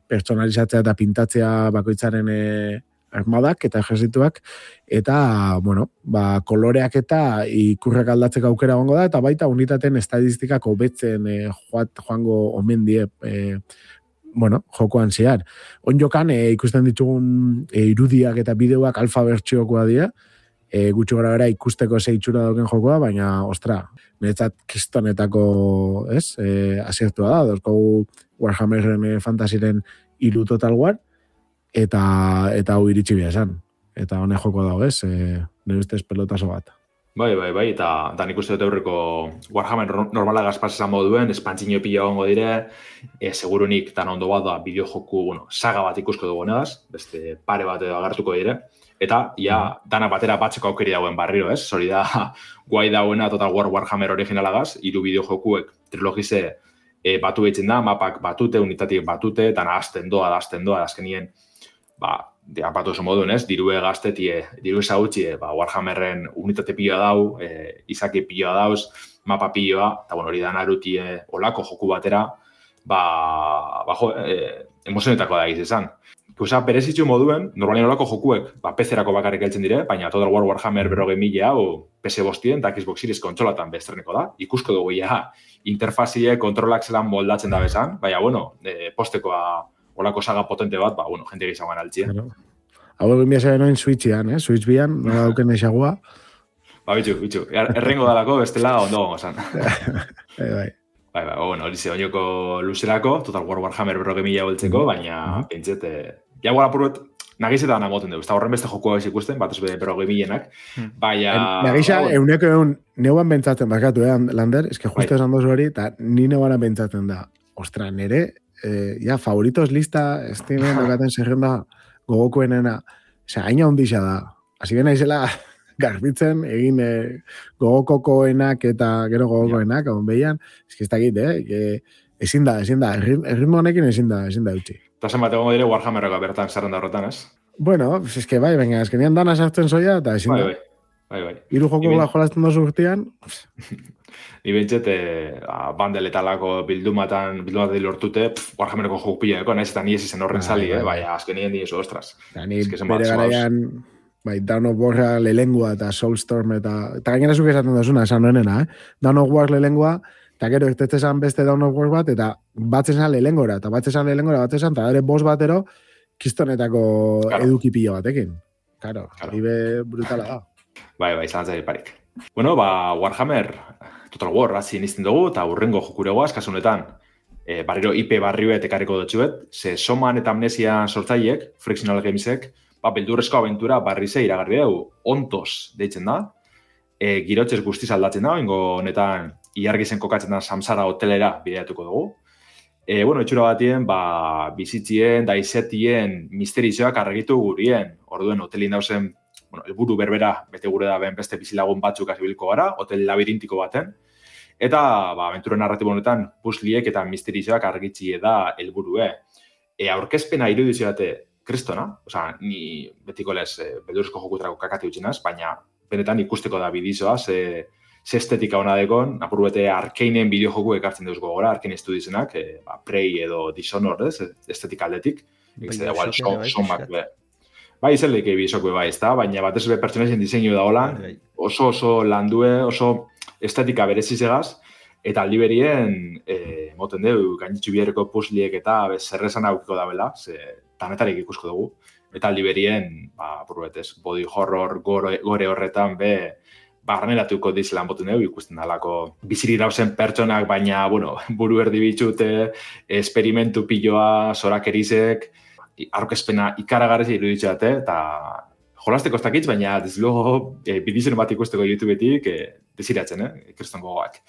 personalizatzea eta pintatzea bakoitzaren e, armadak eta ejerzituak, eta, bueno, ba, koloreak eta ikurrak aldatzeko aukera gongo da, eta baita unitaten estadistikak hobetzen e, joat, joango omen die e, bueno, jokoan zehar. Onjokan e, ikusten ditugun e, irudiak eta bideoak alfa bertsiokoa dira, E, gutxu gara bera ikusteko zeitxura dauken jokoa, baina, ostra, niretzat kistonetako, ez, e, aziertua da, dozkogu Warhammerren e, fantasiren hiru Total War, eta eta hau iritsi bia esan. Eta honek joko dago, ez, e, nire ustez pelotaso bat. Bai, bai, bai, eta da nik uste dut aurreko Warhammer normala gazpaz esan moduen, espantzino pila gongo dire, e, segurunik tan ondo bat da bideo joku, bueno, saga bat ikusko dugu negaz, beste pare bat edo agartuko dire, eta, ja, dana batera batzeko aukeri dauen barriro, ez? Hori da, guai dauena Total War Warhammer originalagaz, hiru bideo jokuek trilogize e, batu behitzen da, mapak batute, unitatik batute, dana azten doa, da azten doa, azkenien, ba, apatu oso moduen, ez? Dirue gaztetie, dirue zagutxie, ba, Warhammerren unitate piloa dau, e, izaki piloa dauz, mapa piloa, eta bueno, hori da narutie olako joku batera, ba, ba jo, e, emozionetako da egiz esan. Ikusa, berezitzu moduen, normalien olako jokuek, ba, P C-erako bakarrik heltzen dire, baina Total War Warhammer berrogei mila hau P C bostien eta Xbox Series kontsolatan bestreneko da. Ikusko dugu, ja, interfazie, kontrolak zelan moldatzen da bezan, baina, bueno, e, postekoa olako saga potente bat, ba, bueno, jente gizangoan altzien. Hau egin biasa benoen Switchian, eh? Switch bian, nola dauken esagua. Ba, bitxu, bitxu. Errengo dalako, bestela ondo gongo zan. Bai, bai. Bai, bai, bueno, hori ze, oinoko luzerako, Total War Warhammer berroge mila boltzeko, baina pentsete, ja guara purret, nagizetan amoten dugu, ez da horren beste jokua ez ikusten, bat ez berroge milenak, baina... Nagisa, euneko egun, neuan bentsatzen, bakatu, eh, Lander, ez que justo esan dozu hori, eta ni neuan bentsatzen da, ostra, nere, eh, ja, favoritos lista, estimen, dakaten zerrenda gogokoenena, osea, haina ondisa da, hasi bena izela... garbitzen, egin eh, gogokokoenak eta gero gogokoenak, hon behian, ez que ez dakit, eh? Ezin da, ezin da, erritmo honekin ezin da, ezin da utzi. Eta zen bat egon dire Warhammerrako bertan zerrenda horretan, ez? Bueno, ez que bai, baina, ez que nian dana sartzen zoia, eta ezin da. Bai, bai, bai. Iru joko gula jolazten dozu urtean. Ni bentset, eh, bandeletalako bildumatan, bildumatan lortute, Warhammerrako joko pilako, nahiz eta ni ez izen horren sali, eh? Baina, azken nien diezu, ostras. Ni bere garaian... Bai, Dawn of War lelengua eta Soulstorm eta... Eta gainera zuk esaten duzuna, esan noenena, eh? Dawn of War lelengua, eta gero ertetzen beste Dawn of War bat, eta batzen zan lelengora, eta batzen zan lelengora, batzen zan, eta ere bost batero, kistonetako claro. Edukipillo batekin. Claro, claro. Ibe brutala da. Bai, bai, zalantzari parik. Bueno, ba, Warhammer, Total War, hasi nizten dugu, eta urrengo jokuregoaz, kasunetan, e, barriro I P barrio etekarriko dutxuet, ze Soman eta Amnesia sortzaiek, Frictional Gamesek, ba, beldurrezko abentura barrize iragarri dugu, ontos deitzen da, e, girotxez guztiz aldatzen da, ingo honetan iargizen kokatzen da Samsara hotelera bideatuko dugu. E, bueno, etxura batien, ba, bizitzien, daizetien, misterizioak argitu gurien, orduen hotelin dauzen, bueno, elburu berbera, bete gure da ben beste bizilagun batzuk azibilko gara, hotel labirintiko baten, eta, ba, abentura narratibo honetan, pusliek eta misterizioak argitzie da elburue. E, aurkezpena irudizio bate, kristona, osea, ni betiko lez e, beldurezko jokutrako kakati utzinaz, baina benetan ikusteko da bidizoa, ze, ze estetika hona dekon, apur bete Arkeinen bideojoku ekartzen deuz gogora, Arkein estudizenak, e, ba, Prey edo Dishonored, ez, estetika aldetik, ez da igual, somak, be. Bai, zer leike bidezokue bai, ez da, baina batez be pertsonaisen diseinu da hola, oso oso landue, oso estetika berezizegaz, eta aldi berien, e, moten deu, gainitxu biherreko pusliek eta zerrezan aukiko da bela, ze tanetarik ikusko dugu. Eta aldi berien, ba, burbetez, body horror gore, gore horretan be, barneratuko dizelan boten dugu, ikusten dalako biziri dauzen pertsonak, baina, bueno, buru erdi bitxute, esperimentu piloa, zorak erizek, aurkezpena ikaragarrez iruditxe dute, eta jolasteko ez dakitz, baina deslogo e, bidizen bat ikusteko YouTubetik e, desiratzen, eh, ikriston gogoak.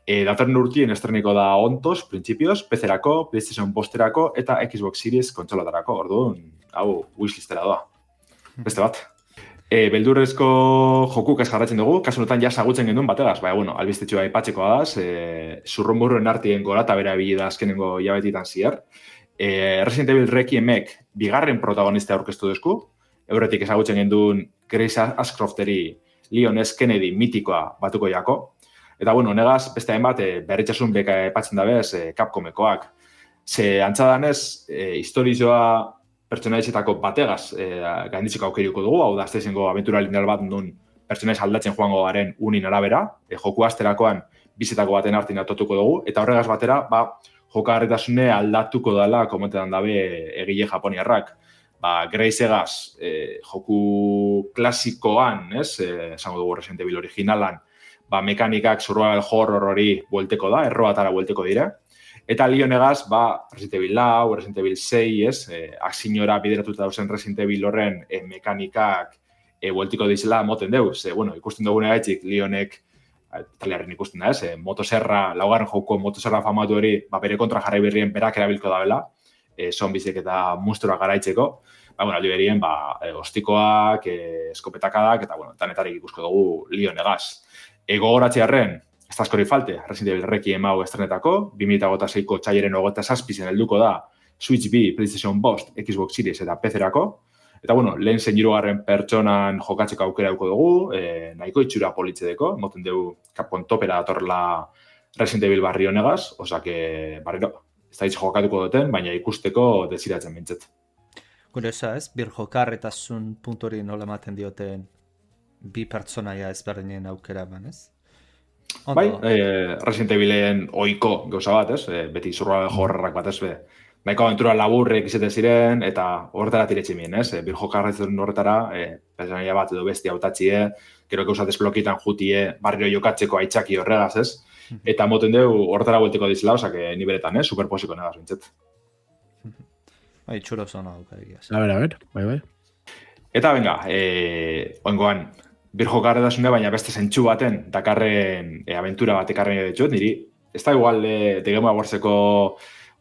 E, datorren urtien estreniko da ontos, printzipioz, P C-erako, PlayStation bosterako eta Xbox Series kontsolatarako, orduan, hau, wishlistera doa. Beste bat. E, beldurrezko jokuk ez jarratzen dugu, kasu honetan ja sagutzen genduen bategaz, baina, bueno, albistetxoa aipatxeko adaz, e, zurrumburruen artien gorata bera bile da azkenengo jabetitan zier. E, Resident Evil Requiemek bigarren protagonista aurkeztu duzku, euretik ezagutzen genduen Grace Ashcrofteri Leon S. Kennedy mitikoa batuko jako. Eta, bueno, negaz, beste hainbat, e, berritxasun beka epatzen dabez e, Capcomekoak. Ze antzadanez, e, historizoa pertsonaizetako bategaz e, gainditzeko aukeriko dugu, hau da, azte zengo aventura lineal bat nun pertsonaiz aldatzen joango garen unin arabera, e, joku asterakoan bizetako baten hartin atotuko dugu, eta horregaz batera, ba, jokagarritasune aldatuko dela komentetan dabe egile japoniarrak. Ba, Grace egaz, e, joku klasikoan, ez, e, esango dugu Resident Evil originalan, ba, mekanikak survival horror hori buelteko da, errobatara buelteko dira. Eta Leon egaz, ba, Resident Evil lau, Resident Evil sei, ez, e, aksinora bideratuta dauzen Resident Evil horren e, mekanikak e, bueltiko dizela moten deuz. E, bueno, ikusten dugun egaitxik, Leonek, taliarren ikusten da, ez, e, motoserra, laugarren joko motoserra famatu hori, ba, bere kontra jarrai berrien berak erabilko da bela, e, zombizek eta monstruak garaitzeko. Ba, bueno, aldi berien, ba, e, ostikoak, e, eskopetakadak, eta, bueno, tanetarik ikusko dugu Leon egaz. Ego goratzearen, ez da askori falte, Resident Evil Requiem hau estrenetako, bi mila hogeita seiko txaileren hogeita zazpizen helduko da Switch B, PlayStation Bost, Xbox Series eta P C-erako. Eta, bueno, lehen zen hirugarren pertsonan jokatzeko aukera duko dugu, e, nahiko itxura politzedeko, moten dugu Capcom topera datorla Resident Evil barri honegaz, osake, barriro, ez da hitz jokatuko duten, baina ikusteko desiratzen bintzet. Kuriosa ez, bir jokarretasun puntori nola ematen dioten bi pertsonaia ezberdinen aukera banez? Bai, eh, Resident Evilen oiko gauza bat, ez? Eh, beti zurra jorrarrak bat ez be, Baiko aventura laburrek izaten ziren, eta horretara tiretsi mien, ez? E, Birjo karretzen horretara, e, personaia bat edo bestia hautatxie, gero gauzat esplokitan jutie, barrio jokatzeko aitzaki horregaz, ez? Eta moten dugu horretara buelteko dizela, osak, ni beretan, eh? Superposiko negaz, bintzet. Bai, txuro zona duka egiaz. A ber, a ber, bai, bai. Eta, venga, e, oingoan, Birjo karretasune, baina beste zentsu baten, dakarren e, aventura bat ekarren ditut, niri, ez da igual de, de Game Awardseko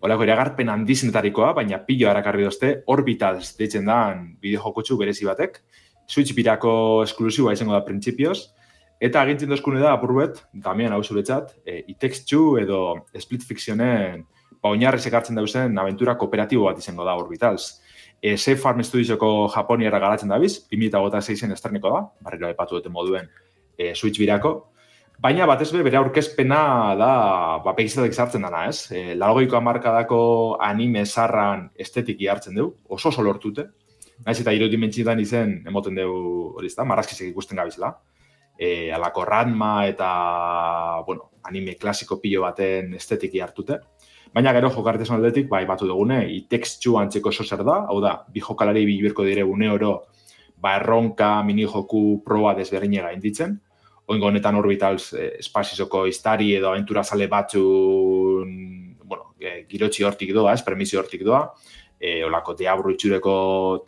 olako iragarpen handizenetarikoa, baina pilo harakarri dozte, Orbitals deitzen dan bideojokotxu berezi batek, Switch birako esklusiboa izango da printzipioz, eta agintzen dozkune da apurbet, Damian hau zuretzat, e, It Takes Two edo Split Fictionen ba, oinarri sekartzen dauzen aventura kooperatibo bat izango da Orbitals. E, Safe Farm Studiosoko Japoniara garatzen dabiz, bi mila hogeita seian estreneko da, barriro aipatu duten moduen e, Switch birako, baina batez be, bere aurkezpena da, ba, pegizatek sartzen dana, ez? E, Laurogeiko hamarkadako anime zarran estetiki hartzen dugu, oso oso lortute. Naiz eta irodimentzietan izen, emoten dugu, hori ezta, marrazkizek ikusten gabizela. E, alako Ranma eta, bueno, anime klasiko pilo baten estetiki hartute. Baina gero jokartezen aldetik, bai batu dugune, It Takes Two antzeko oso zer da, hau da, bi jokalari bilberko dire une oro, ba erronka, minijoku, proba desberdinega inditzen. Oingo honetan Orbitals eh, espazizoko iztari edo aventura zale batzun, bueno, eh, girotxi hortik doa, ez, permisio hortik doa, eh, olako diabru itxureko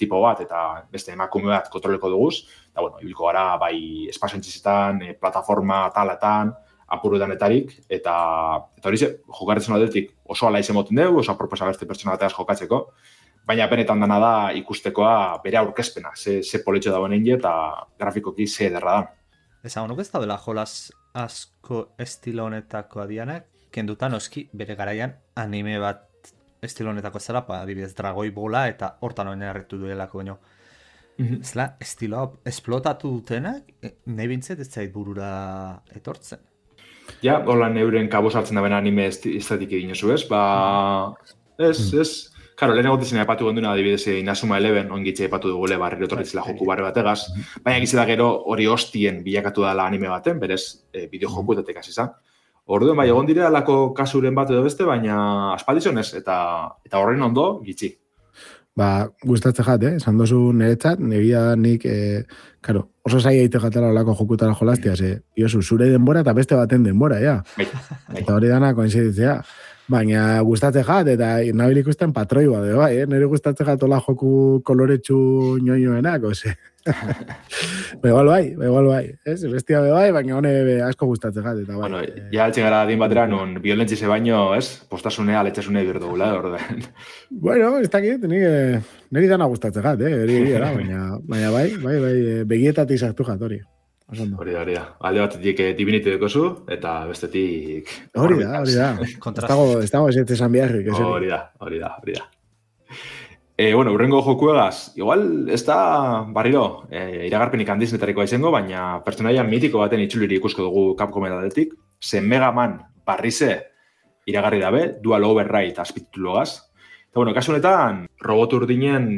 tipo bat, eta beste emakume bat kontroleko duguz, eta, bueno, ibiliko gara, bai, espaziontzizetan, eh, plataforma talatan, apuruetanetarik, eta, eta hori ze, jokarretzen aldetik oso ala izen moten dugu, oso aproposa beste pertsona bateaz jokatzeko, baina benetan dana da ikustekoa bere aurkezpena, ze, ze politxo dagoen egin eta grafikoki ze ederra da. Ezagun, ez da dela jolas asko estilo honetako adianak, kendutan oski bere garaian anime bat estilo honetako zela, pa, adibidez, Dragoi Bola eta hortan oinarritu duelako baino. Mm-hmm. Zela, estilo hau esplotatu dutenak, nahi bintzet ez zait burura etortzen. Ja, holan euren kabuz hartzen da bena anime estetik egin oso, ez? Ba, ez, ez. Karo, lehen egotezen aipatu gonduna, adibidez, Inazuma Eleven, ongitxe aipatu dugule barri otorritzela joku barri bategaz, baina gizela gero hori hostien bilakatu dela anime baten, berez, e, bideojokuetatek hasi izan. Orduan, bai, egon dire alako kasuren bat edo beste, baina aspaldizonez, eta eta horren ondo, gitxi. Ba, gustatze jat, eh? Esan dozu niretzat, negia nik, eh, karo, oso zai eite jatela olako jokutara jolastia, ze, iosu, zure denbora eta beste baten denbora, ja. Bai, bai. Eta hori dana koinziditzea. Baina gustatze jat, eta nabil ikusten patroi bat, bai, eh? Nire gustatze jat ola joku koloretsu ñoñoenak, ose. Begal bai, begal bai, ez? Bestia be bai, baina hone be asko gustatze jat, eta bai. Bueno, ja altxe gara adin batera, non violentzize baino, ez? Postasunea, aletxasunea birdugula, orden. Bueno, ez dakit, nire, nire dana gustatze jat, eh? Eri, eri, baina, baina bai, bai, bai, begietatik sartu jat, hori. Hori da, hori da. Alde batetik Divinity dekozu, eta bestetik... Hori da, hori da. Ez dago ez esan biharrik. Hori da, hori da, hori da. E, bueno, urrengo jokuegaz, igual ez da barriro, e, iragarpenik handizenetarikoa izango, baina pertsonaia mitiko baten itxuliri ikusko dugu Capcomen aldetik, zen Mega Man barrize iragarri dabe, Dual Override azpititulogaz. Eta, bueno, kasu honetan, robot urdinen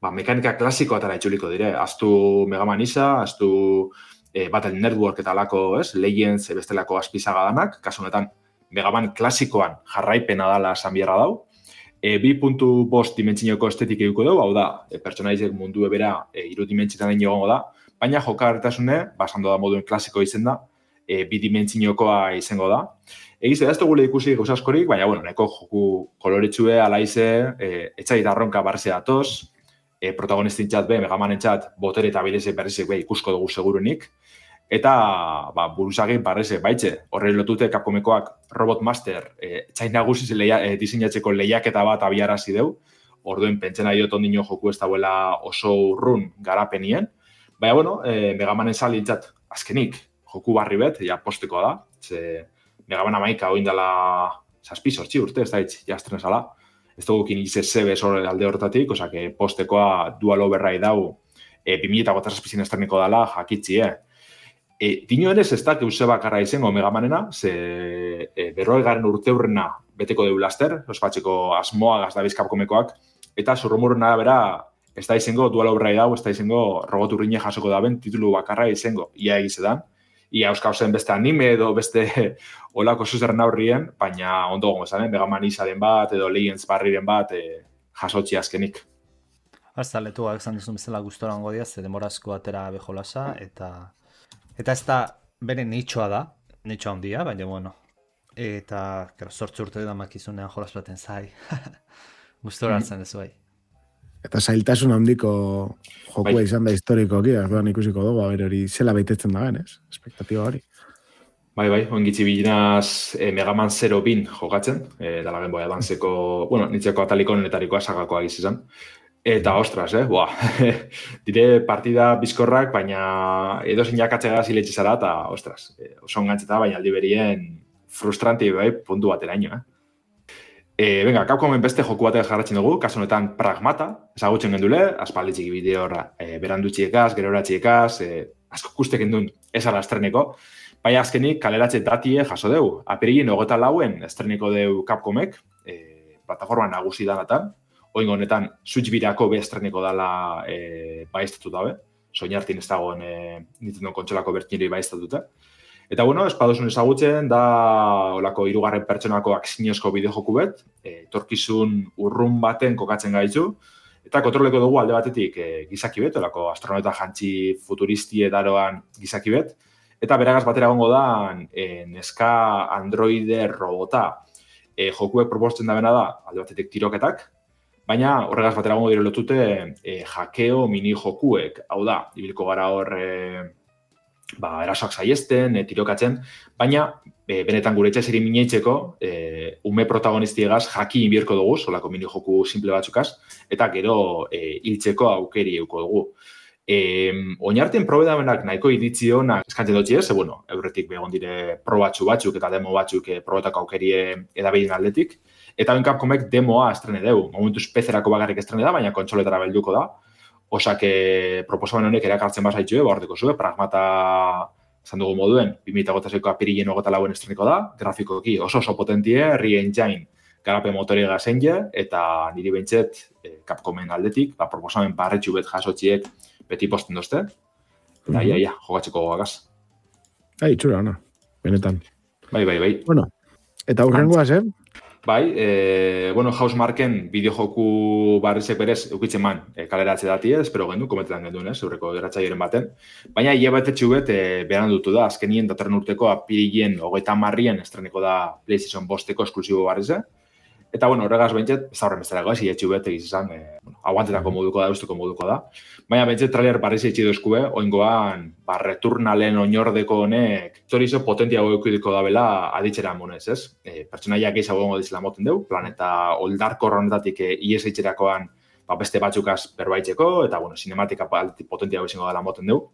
ba, mekanika klasiko atara itxuliko dire. Aztu Mega Man isa, aztu e, Battle Network eta alako, ez, Legends bestelako azpizaga danak, kasu honetan Mega Man klasikoan jarraipena dala esan biharra dau. E, bi puntu bost dimentzinoko estetik eduko dugu, hau da, e, pertsonaizek mundu ebera e, iru dimentsitan egin egongo da, baina jokartasune, basando da moduen klasiko izen da, e, bi dimentzinokoa izango da. Egiz, ez dugule ikusi gauza askorik, baina, bueno, neko joku koloretsue, alaize, e, etxait arronka barze datoz, e, protagonistin txat be, Megamanen txat, botere eta bileze berrizek be ikusko dugu segurunik, eta ba, buruzagin barreze baitxe, horre lotute Capcomekoak Robot Master e, txain nagusiz leia, e, diseinatzeko lehiaketa bat abiarazi deu, orduen pentsena diot ondino joku ez dauela oso urrun garapenien, baina, bueno, e, Megamanen salintzat azkenik joku barri bet, ja posteko da, ze Megaman amaika oindala zazpi sortzi urte, ez da hitz, jastren zala, ez dugu kin ize zebe zore alde hortatik, oza, que postekoa Dual Override dau, e, bi mila eta gota zazpizien estreneko dala jakitzi, eh? E, dino ere ez da keuse bakarra izango Megamanena, ze e, berroi garen urte hurrena beteko deu laster, ospatxeko asmoa gazdabiz Capcomekoak, eta zurrumurren arabera ez da izango Dual Override dau, ez da izango robot urrine jasoko daben titulu bakarra izango, ia egizetan, ia euskauzen beste anime edo beste olako zuzerren aurrien, baina ondo gongo zanen, Mega Man Isaren bat edo Legends barriren bat e, jasotzi azkenik. Arza, letu gak zan duzun bezala gustora hongo diaz, demorazko atera bejolasa, eta eta ez da bere nitxoa da, nitxoa handia, baina bueno, eta sortzi urte da makizunean jolas baten zai. Gustora hartzen ez bai. Eta zailtasun handiko jokua bai. Izan da historikoki, orduan ikusiko dugu, aber hori zela beitetzen da ben, ez? Espektatiba hori. Bai, bai, ongitzi bilinaz eh, Mega Man zero bin jokatzen, eh, dala Game Boy Advanceko, bueno, nitzeko ataliko honetarikoa sagakoa izan. Eta, ostras, eh, boa, dire partida bizkorrak, baina edo zein jakatxega ziletxe zara, eta, ostras, eh, oso ongantzeta, baina aldi berien frustranti bai, puntu bateraino, eh. E, venga, Capcomen beste joku batek jarratzen dugu, kasu honetan Pragmata, ezagutzen gendule, aspalditxik bideo e, berandutxiekaz, geroratxiekaz, e, asko kustek endun ezara estreneko, baina azkenik kaleratxe datie jaso deu. Apirilin hogeta lauen estreneko deu Capcomek, e, plataforma nagusi danatan, oingo honetan Switch birako be estreneko dala e, baiztatu dabe, soinartin ez dagoen e, Nintendo kontsolako bertineri baiztatute. Eta, bueno, espadosun ezagutzen, da olako hirugarren pertsonako akzinozko bideojoku bet, e, torkizun urrun baten kokatzen gaitu, eta kontroleko dugu alde batetik e, gizaki bet, olako astronauta jantzi futuristi edaroan gizaki bet, eta beragaz batera gongo da e, neska androide robota e, jokuek proposten da bena da, alde batetik tiroketak, baina horregaz batera gongo dire lotute e, jakeo mini jokuek, hau da, ibilko gara hor e, ba, erasoak saiesten, e, tirokatzen, baina e, benetan gure etxe zeri mineitzeko e, ume protagonistiegaz jaki inbierko dugu, solako mini joku simple batzukaz, eta gero e, hiltzeko aukeri euko dugu. E, oinartien probedamenak nahiko iditzi honak eskantzen dutxi ez, e, bueno, eurretik begon dire probatxu batzuk eta demo batzuk e, probetako aukerie edabidin atletik, eta ben Capcomek demoa estrene deu, momentuz pezerako bagarrik estrene da, baina kontsoletara belduko da, osak proposamen honek erakartzen bazaitxue, bordeko zue, Pragmata zan dugu moduen, bi mila hogeita seiko apirilien hogeta lauen estreniko da, grafikoki oso oso potentie, Re-Engine garape motorega zenje, eta niri behintzet eh, Capcomen aldetik, ba, proposamen barretxu bet jasotxiek beti posten dozte, eta mm-hmm. ia, ia, jogatzeko goagaz. Ai, txura, ona, benetan. Bai, bai, bai. Bueno, eta urrengoaz, eh? Bai, e, bueno, Housemarken bideojoku barrizek berez eukitzen man e, kaleratze dati ez, espero gendu, kometetan genduen ez, eurreko eratxaieren baten. Baina hile bat etxuet e, beran dutu da, azkenien datorren urteko apirilien hogeita marrien estreniko da PlayStation bosteko esklusibo barrize. Eta, bueno, horregaz behintzet, ez da horren bezalago ez, hile txubet egiz izan, e, bueno, aguantetako moduko da, usteko moduko da. Baina behintzet trailer barrize etxi duzkue, oingoan, ba, returnalen oinordeko honek, zorizo potentiago eukidiko da bela aditxera monez, ez? E, pertsonaiak gehiago gongo dizela moten deu, planeta oldarko honetatik e, ies eitxerakoan ba, beste batzukaz berbaitzeko, eta, bueno, sinematika potentiago izango dela moten deu.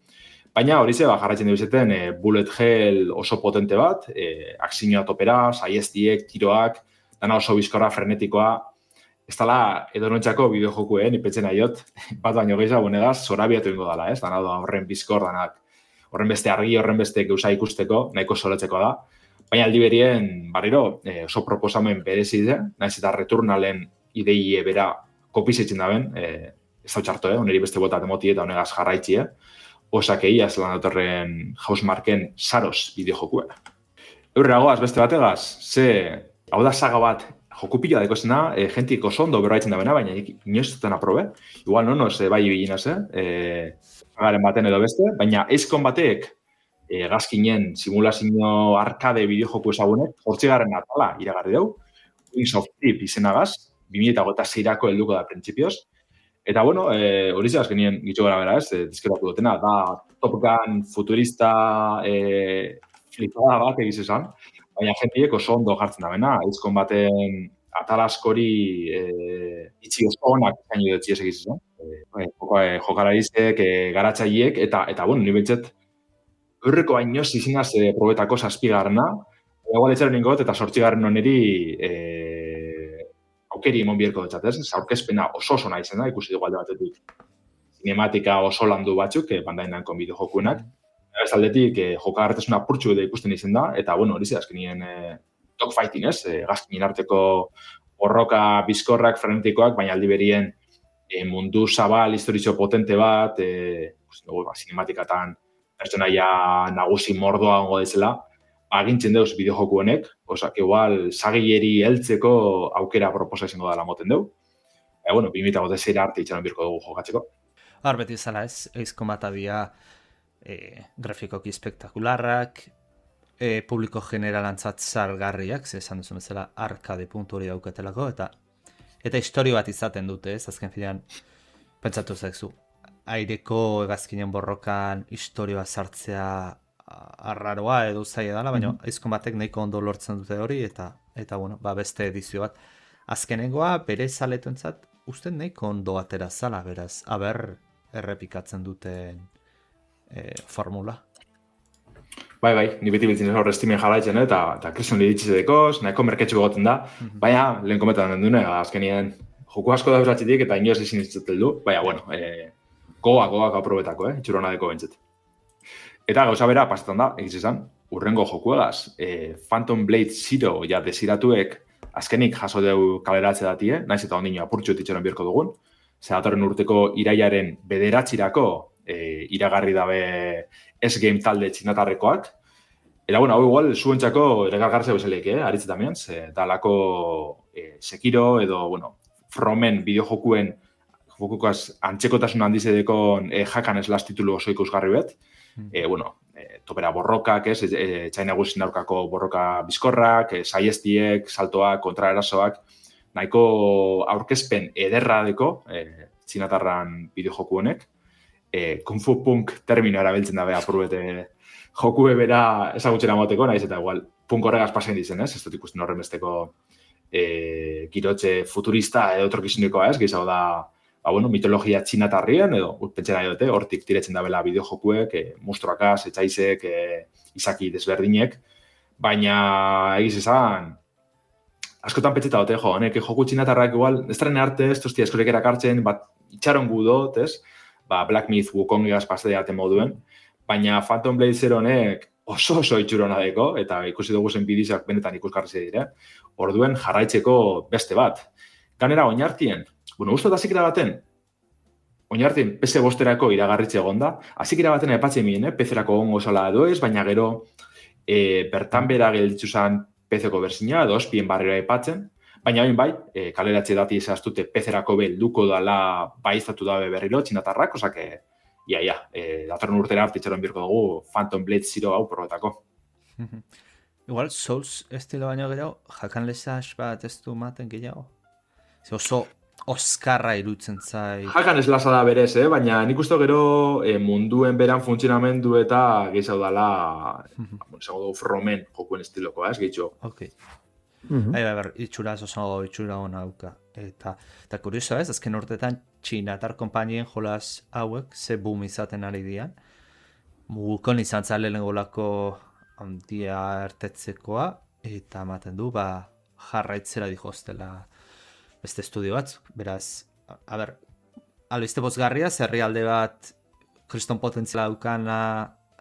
Baina hori ze, ba, jarraitzen dugu izeten, e, bullet hell oso potente bat, e, aksinioa topera, saiestiek, tiroak, dana oso bizkorra, frenetikoa, ez dala edonotxako bideojokuen, ipetzen aiot, bat baino gehiago bonegaz, zorabiatu ingo dala, ez? Dana da horren bizkor, danak, horren beste argi, horren beste geusa ikusteko, nahiko solatzeko da. Baina aldi berien, barriro, eh, oso proposamen berezi de, naiz eta returnalen ideie bera kopizetzen daben, eh, ez hau txarto, eh? Oneri beste bota temoti eta honegaz jarraitxie, osak egia zelan datorren Housemarken saros bideojokue. Eurreagoaz beste bategaz, ze, hau da saga bat, joku pila daiko zena, e, jentik oso ondo berraitzen da bena, baina inoz zuten aprobe. Igual, no, nos, e, bai bilinaz, eh? E, garen baten edo beste, baina ezkon batek e, gazkinen simulazio arkade bideojoku ezagunek, hortzigarren atala iragarri deu, Wings of Trip izenagaz, bi mila hogeita seirako helduko da printzipioz. Eta, bueno, e, hori zehaz genien gitxo gara bera, ez, e, dizkeratu dutena, da Top Gun futurista e, flipada bat egiz esan, baina jentiek oso ondo jartzen da bena, ezkon baten atalaskori e, itxi oso honak zaino dutzi ez egiz esan. E, e, jokalarizek, e, garatzaiek, eta, eta bueno, nire behitzet, horreko hainoz izinaz e, probetako zazpigarna, egual etxaren ingot, eta sortzigarren oneri e, aukeri emon bierko dutxat, ez? Zaurkezpena oso oso nahi zen da, ikusi dugu alde batetik. Cinematika oso landu batzuk, e, bandainan konbideo jokuenak. Ez aldetik, eh, jokagartasuna purtsu edo ikusten izen da, eta, bueno, hori ze, azkenien eh, dogfighting, ez? Eh, gazkinen arteko borroka bizkorrak, frenetikoak, baina aldi berien eh, mundu zabal, historizio potente bat, eh, pues, no, ba, cinematikatan pertsonaia nagusi mordoa ongo dezela, agintzen deuz bideojoku honek, osak, igual, sagileri heltzeko aukera proposa izango dela moten deu. E, bueno, bi mila hogeita sei arte itxaron birko dugu jokatzeko. Har beti zala ez, Ace Combat dia e, grafikoki spektakularrak, e, publiko generalantzat salgarriak, ze esan duzu bezala arkade puntu hori daukatelako, eta eta historio bat izaten dute, ez, azken finean, pentsatu zaizu, aireko hegazkinen borrokan historioa sartzea arraroa edo zaila dela, baina mm-hmm. Ace Combatek nahiko ondo lortzen dute hori, eta, eta bueno, ba, beste edizio bat. Azkenengoa, bere zaletuentzat, uste nahiko ondo atera zala, beraz, aber errepikatzen duten e, formula. Bai, bai, ni beti biltzen ez horre estimen jarraitzen, eta, eta krisun liditzizedekoz, nahiko merketxu egoten da, mm-hmm. baina, lehen kometan den dune, azkenien, joku asko da beratxetik, eta inoz ezin izatzel du, baina, bueno, e, goa, goa aprobetako, eh, itxurona deko bentzet. Eta gauza bera, pasetan da, egiz izan, urrengo jokuegaz, e, Phantom Blade Zero, ja, desiratuek, azkenik jaso deu kaleratze datie, naiz eta ondino apurtxo itxeron birko dugun, zeratorren urteko iraiaren bederatzirako, e, iragarri dabe S-Game talde txinatarrekoak. Eta, bueno, hau igual, zuentzako regargarze bezaleik, eh, aritze tamien, ze dalako e, Sekiro edo, bueno, Fromen bideojokuen jokukaz antzekotasun handizedekon e, jakan eslas titulu oso ikusgarri bet. Mm. E, bueno, e, topera borrokak, ez, e, txaina guztin aurkako borroka bizkorrak, e, saiestiek, saltoak, kontraerasoak, nahiko aurkezpen ederra deko, e, txinatarran bideojoku honek. E, Kung Fu Punk termino erabiltzen dabe apurbete jokue bera ezagutxera moteko, naiz eta igual punk horregaz pasen dizen, ez? Ez dut ikusten horren besteko e, girotxe futurista edo otrokizunikoa, ez? Gizau da, ba, bueno, mitologia txinatarrien, edo pentsera edote, hortik tiretzen dabela bideojokuek, e, monstruakaz, etxaizek, e, izaki desberdinek, baina egiz esan, askotan pentseta dote, jo, honek joku txinatarrak igual, ez daren arte, ez tozti eskorek erakartzen, bat itxaron gudot, ez? Ba, Black Myth Wukongigaz pasade ate moduen, baina Phantom Blade Zero honek oso oso itxurona deko, eta ikusi dugu zen bidizak benetan ikusgarri dire, orduen jarraitzeko beste bat. Ganera, oinartien, bueno, uste da zikera baten, oinartien P C bosterako iragarritze egonda, azikera baten epatzen mien, eh? P C-erako ongo zala edo ez, baina gero e, bertan bera gelditzu zen P C-ko berzina, edo ospien barrera epatzen, baina hain bai, e, kaleratze dati izaztute P C-erako belduko dala baizatu dabe berriro, txinatarrak, osake, ia, ia, e, datorren urtera artitxeron birko dugu Phantom Blade Zero hau probetako. Igual, Souls estilo baino gero, jakan lesaz bat ez du maten gehiago? Ze oso oskarra irutzen zai. Jakan eslasa da berez, eh? Baina nik uste gero e, munduen beran funtzionamendu eta gehiago dala, esango dugu Fromen jokuen estilokoa, ez gehitxo. Ok. Mm-hmm. Bai, bai, itxura oso itxura hona hauka. Eta, eta kurioso ez, azken urtetan txinatar konpainien jolaz hauek ze boom izaten ari dian. Mugukon izan zale lengolako handia ertetzekoa, eta ematen du, ba, jarraitzera dihoztela beste estudio batzuk. Beraz, a ber, albiste bozgarria, herrialde bat kriston potentziala daukana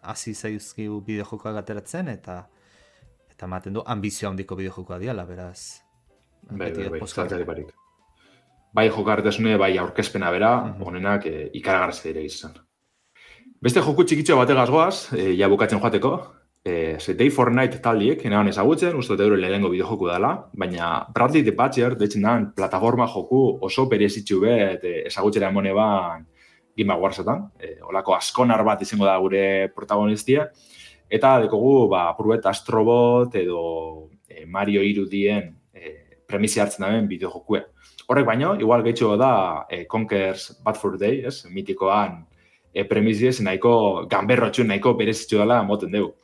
hasi zaizkigu bideojokoak ateratzen, eta eta ematen du ambizio handiko bideojokoa diala, beraz. Bai, bai, bai, zaltzari barik. Bai jokarretasune, bai aurkezpena bera, mm-hmm. honenak e, ikaragarrez dire izan. Beste joku txikitxo bategaz goaz, e, ja bukatzen joateko, e, Day for Night taldiek, enaban ezagutzen, uste dut euro lehenengo bideojoku dela, baina Bradley the Butcher, deitzen dan, plataforma joku oso berezitxu bet, e, ezagutzera emone ban Game Awards-etan, e, olako askonar bat izango da gure protagonistia, eta dekogu, ba, apurbet Astrobot edo e, Mario irudien e, premisi hartzen daben bideojokue. Horrek baino, igual gehitxo da e, Conker's Bad Fur Day, ez? Mitikoan e, premisi ez nahiko ganberrotxu, nahiko berezitxu dela moten dugu.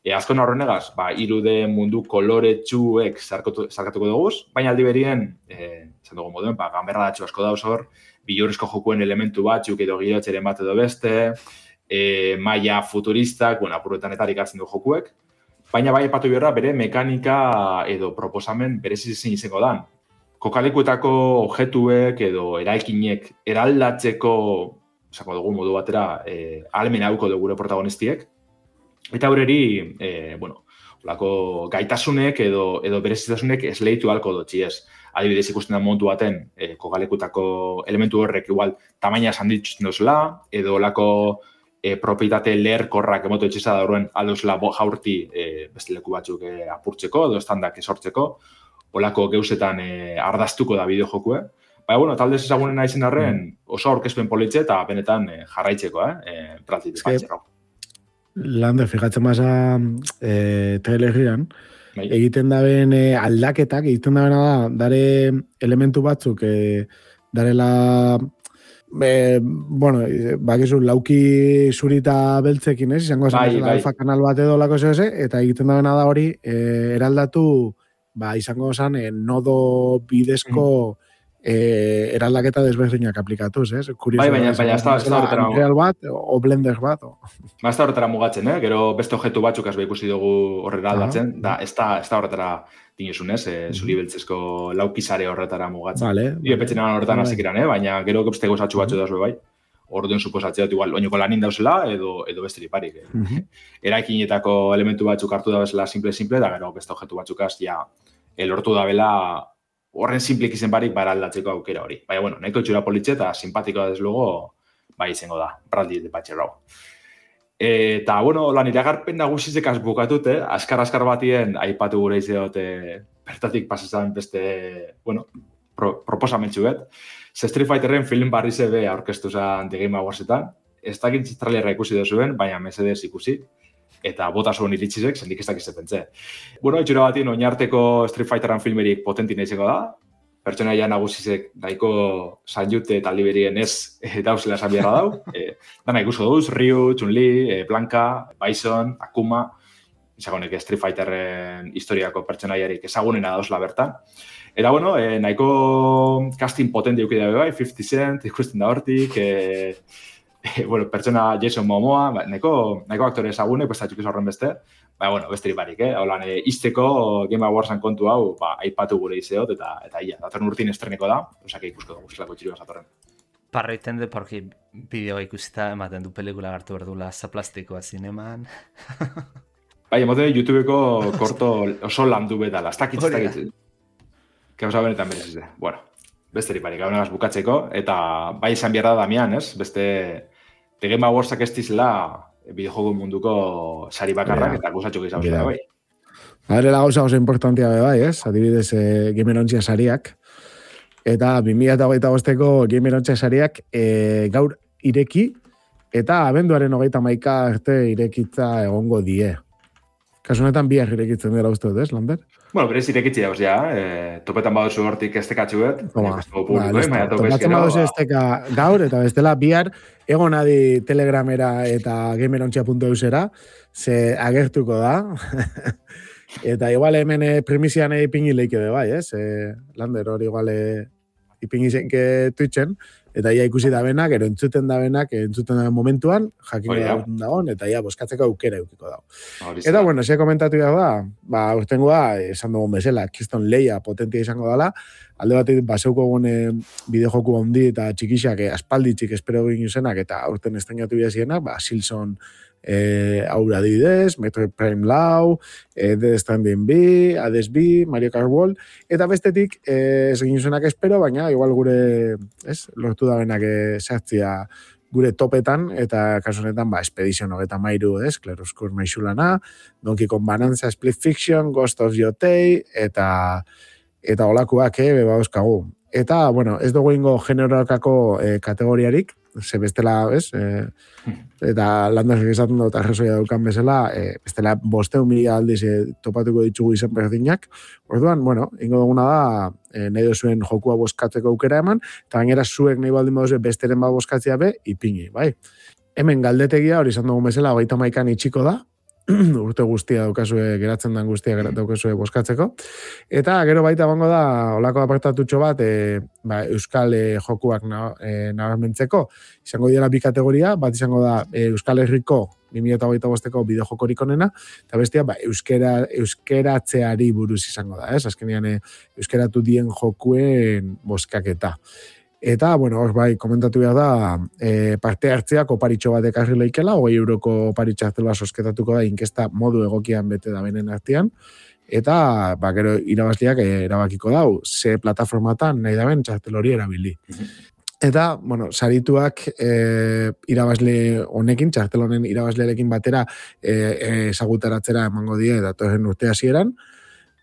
E, azkon horrenegaz, ba, irude mundu koloretsuek zarkatuko duguz, baina aldi berien, e, zan dugu moduen, ba, ganberra datxu asko dauz hor, bilurrizko jokuen elementu batzuk edo girotxeren bat edo beste, E, maia futuristak, bueno, apuruetan etarik hartzen du jokuek, baina bai epatu biorra bere mekanika edo proposamen berezizien izango dan. Kokalekuetako objetuek edo eraikinek eraldatzeko, esako dugu modu batera, e, almen hauko dugu gure protagonistiek, eta horreri, e, bueno, olako gaitasunek edo, edo berezitasunek esleitu halko dutxi ez. Adibidez ikusten da montu baten, e, kokalekutako elementu horrek igual tamaina sanditzen dozela, edo olako e, propietate leherkorrak emoto etxeza da horren aldozela jaurti e, beste leku batzuk e, apurtzeko, edo estandak esortzeko, olako geuzetan e, ardaztuko da bideojokue. Baina, bueno, talde ezagunena izan arren oso aurkezpen politxe eta benetan e, jarraitzeko, eh? E, Bradley Batcher. Lander, fijatzen baza e, trailerrian, egiten daben e, aldaketak, egiten dabena da, dare elementu batzuk, e, darela, e, bueno, bakizu, lauki zurita beltzekin, ez? Izango esan, bai, bai. Alfa kanal bat edo lako zehose, eta egiten dabena da hori, e, eraldatu, ba, izango esan, e, nodo bidezko, mm. Eh, eraldaketa desberdinak aplikatuz, ez? Bai, baina, baina, ez da horretara... Unreal bat, o Blender bat, o... Ba, ez da horretara mugatzen, eh? Gero beste objektu batzuk azbe ikusi dugu horrela aldatzen, da, ez da, ez da horretara dinuzun, ez? Eh, zuri beltzezko laukizare horretara mugatzen. Vale. Io petzen eman horretan vale. Azikiran, eh? Baina, gero beste gozatxu batzu dauz, bai? Orduen suposatzea dut, igual, oinoko lanin dauzela, edo, edo beste liparik. Eh? Uh-huh. Eraikinetako elementu batzuk hartu da bezala simple-simple, da gero beste objektu batzukaz, ja, elortu da bela horren simplik izen barik bara aldatzeko aukera hori. Baina, bueno, nahiko txura politxe eta simpatikoa desluego, bai izango da, Bradley Batcher hau. Eta, bueno, lan iragarpen nagusizek bukatut, eh? Askar-askar batien, aipatu gure izeot, eh, bertatik pasazan beste, bueno, pro, proposamentzu bet. Ze Street Fighterren film barri zebe aurkeztu zan The Game Awardsetan. Ez dakit trailerra ikusi duzuen, baina mesedez ikusi. Eta bota zuen iritsizek, zendik ez dakiz pentze. Bueno, itxura batien, oinarteko Street Fighteran filmerik potentin izango da. Pertsonaia nagusizek daiko Sanjute eta Liberien ez e, dauzela esan biharra dau. E, dana ikusko duz, Ryu, Chun-Li, e, Blanka, Bison, Akuma, izagonek Street Fighterren historiako pertsonaiarik ezagunena dauzela bertan. Eta, bueno, e, nahiko casting potenti eukidea bai, fifty cent, ikusten da hortik, e, e, bueno, pertsona Jason Momoa, ba, nahiko, nahiko aktore ezagune, pues, atxuk horren beste, ba, bueno, besterik barik, eh? Holan, e, izteko Game Awardsan kontu hau, ba, aipatu gure izeot, eta, eta ia, datorren urtin estreneko da, osake ikusko dugu zelako txirua zatorren. Parra iten de, porque bideoa ikusita ematen du pelikula gartu berdula zaplastikoa zineman. Bai, emoten YouTubeko korto oso landu betala, ez dakitz, ez dakitz. Kauza benetan berezizte. Bueno, besterik barik, hau negaz bukatzeko, eta bai izan behar da Damian, ez? Beste, The Game Awardsak ez dizela bideojogo munduko sari bakarrak, eta guzatxo gizau zela, bai. Adrela gauza oso importantia bai, ez? Adibidez, eh, Gamerontzia sariak. Eta bi mila hogeita bosteko Gamerontzia sariak eh, gaur ireki, eta abenduaren hogeita hamaika arte irekitza egongo die. Kasu honetan biak irekitzen dira uste dut, ez, Lander? Bueno, berez irekitzi dauz, ja. Eh, topetan baduzu hortik estekatxuet. Toma, ba, listo. Topatzen baduzu esteka gaur, eta bestela bihar egon adi Telegramera eta gamerontzia puntu eusera, ze agertuko da. Eta igual hemen primizian ipingi leike de bai, ez? Eh, Lander hori igual ipingi zenke Twitchen, eta ia ikusi da benak, ero entzuten da benak, entzuten da momentuan, jakiko da dagoen, eta ia boskatzeko aukera eukiko dago. Eta, bueno, ze komentatu da, ba, urtengoa, esan dugun bezala, Keystone Leia potentia izango dela, alde bat baseuko gune bideojoku handi eta txikixak, aspalditxik espero egin zenak, eta urten estrenatu bidezienak, ba, Silson eh, aura didez, Metroid Prime Lau, eh, Death Stranding B, Hades B, Mario Kart World, eta bestetik eh, ez egin zenak espero, baina igual gure, ez, lortu da benak sartzia gure topetan, eta kasu honetan, ba, Expedition hogeta mairu, ez, Claroscur Maixulana, Donkey Kong Bonanza, Split Fiction, Ghost of Yotei, eta eta olakoak, eh, beba euskagu. Eta, bueno, ez dugu ingo generoakako eh, kategoriarik, ze bestela, ez, eh, eta landazak esaten dut arrezoia daukan bezala, eh, bestela bosteun mila aldiz eh, topatuko ditugu izen berdinak. Orduan, bueno, ingo duguna da, eh, nahi duzuen jokua boskatzeko aukera eman, eta gainera zuek nahi baldin baduzue besteren bat boskatzea be, ipini, bai. Hemen galdetegia, hori izan dugun bezala, hogeita hamaikan itxiko da, urte guztia daukazue, geratzen den guztia daukazue boskatzeko. Eta gero baita bango da, olako apartatutxo bat, e, ba, Euskal e, jokuak nabarmentzeko. Izango dira bi kategoria, bat izango da e, Euskal Herriko bi mila hogeita bosteko bideojokorik onena, eta bestia, ba, euskera, euskaratzeari buruz izango da, ez? Azkenean, e, euskaratu dien jokuen boskaketa. Eta, bueno, hor bai, komentatu behar da, e, parte hartzeak oparitxo bat ekarri leikela, hogei euroko oparitxo hartzela sosketatuko da, inkesta modu egokian bete da benen artean, eta, ba, gero irabazliak erabakiko dau, ze plataformatan nahi da ben txartel hori erabili. Eta, bueno, sarituak e, irabazle honekin, txartel honen irabazlearekin batera ezagutaratzera e, emango die datorren urte hasieran.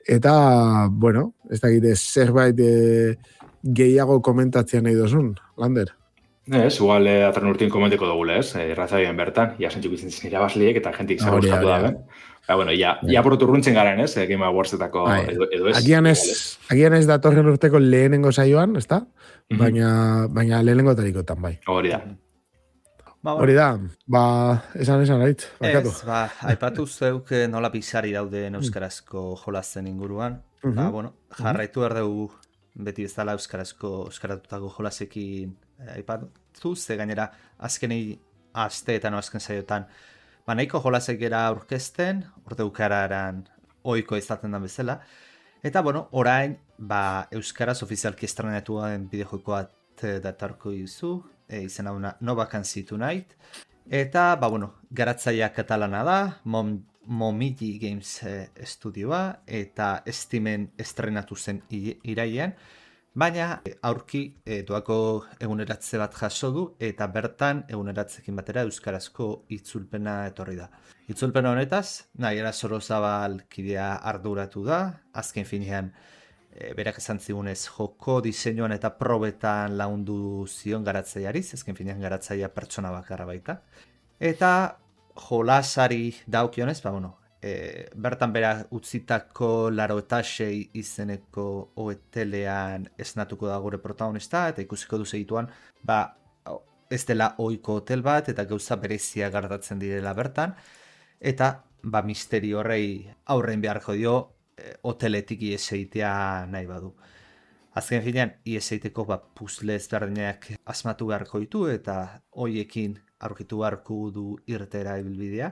Eta, bueno, ez dakite zerbait e, gehiago komentatzea nahi dozun, Lander? Ez, igual eh, atran urtin komenteko dugule, ez? Errazabien bertan, ja zentzuk izan zen irabazliek eta jentik zer gustatu da, ben? Ba, bueno, ja, ja proturruntzen garen, ez? Game Awardsetako edo, edo ez. Agian ez, agian ez datorren urteko lehenengo saioan, ez da? Baina, baina lehenengo tarikotan, bai. Hori da. Ba, Hori da, ba, esan esan, ait, bakatu. Ez, ba, aipatu zeuk nola bizari dauden euskarazko jolazen inguruan. Mm -hmm. Ba, bueno, jarraitu behar dugu beti bezala euskarazko, euskaratutako jolasekin aipatu, ze gainera azkenei asteetan o azken saiotan, ba, nahiko jolasek gara aurkezten, orte ukararan oiko izaten da bezala. Eta, bueno, orain, ba, euskaraz ofizialki estrenatua den bideojoiko bat datarko izu, e, izan hau No Vacancy Tonight. Eta, ba, bueno, garatzaia katalana da, Mom, Momiji Games e, estudioa, eta Steamen estrenatu zen irailean, baina aurki e, doako eguneratze bat jaso du, eta bertan eguneratzekin batera euskarazko itzulpena etorri da. Itzulpena honetaz, Naiara Sorozabal kidea arduratu da, azken finean e, berak esan zigunez joko diseinuan eta probetan laundu zion garatzaiariz, azken finean garatzaia pertsona bakarra baita. Eta jolasari daukionez, ba, bueno, e, bertan bera utzitako laro eta sei izeneko oetelean esnatuko da gure protagonista, eta ikusiko du segituan, ba, ez dela ohiko hotel bat, eta gauza berezia gartatzen direla bertan, eta ba, misteri horrei aurrein beharko dio e, hoteletik ieseitea nahi badu. Azken finean, ieseiteko ba, puzle ezberdinak asmatu beharko ditu, eta hoiekin aurkitu beharko du irtera ibilbidea.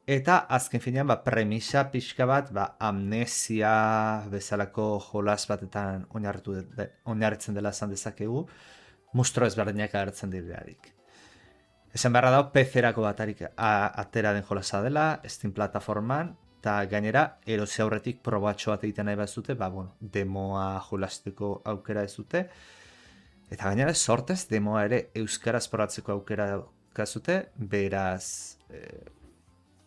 Eta azken finean, ba, premisa pixka bat, ba, amnesia bezalako jolas batetan oinarritzen dela esan dezakegu, mustro ezberdinak agertzen direlarik. Esan beharra dago, P C-erako batarik atera den jolasa dela, Steam plataforman, eta gainera, erosi aurretik probatxo bat egiten nahi bazute, ba, bueno, demoa jolasteko aukera ez dute, eta gainera, sortez, demoa ere euskaraz probatzeko aukera daukazute, beraz, eh,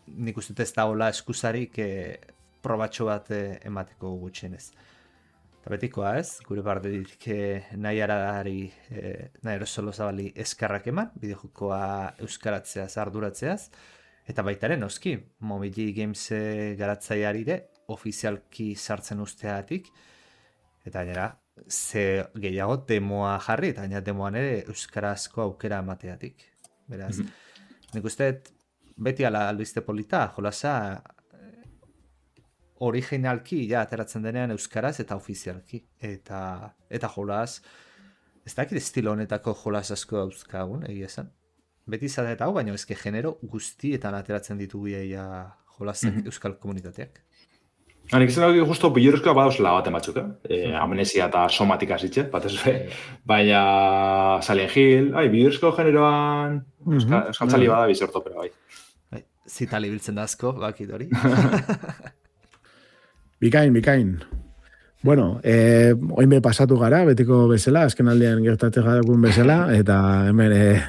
nik uste ez da hola eskusarik eh, probatxo bat eh, emateko gutxienez. Eta betikoa ez, gure bardetik eh, nahi aradari, eh, nahi erosolo zabali eskarrak eman, bideojokoa euskaratzeaz, arduratzeaz, eta baitaren noski, Momiji Games garatzaiarire ofizialki sartzen usteatik, eta gainera, ze gehiago demoa jarri, eta gainera demoan ere euskarazko aukera emateatik. Beraz, mm-hmm. nik uste beti ala albiste polita, jolasa originalki ja ateratzen denean euskaraz eta ofizialki. Eta, eta jolas, ez dakit estilo honetako jolas asko dauzkagun, egia esan. Beti izan eta hau, baina ezke genero guztietan ateratzen ditugu ia jolasen mm-hmm. euskal komunitateak. Hanik izan dugu justo biluruzkoa badauzela baten batzuk, eh? E, amnesia eta somatika zitxe, batez be. Baina Silent Hill, ai, biluruzko generoan mm-hmm. euskal txali bada bizortopera, bai. bai. Zitali biltzen da asko, bakit hori. Bikain, bikain. Bueno, eh, oinbe pasatu gara, betiko bezala, azken aldean gertatzen gadakun bezala, eta hemen eh,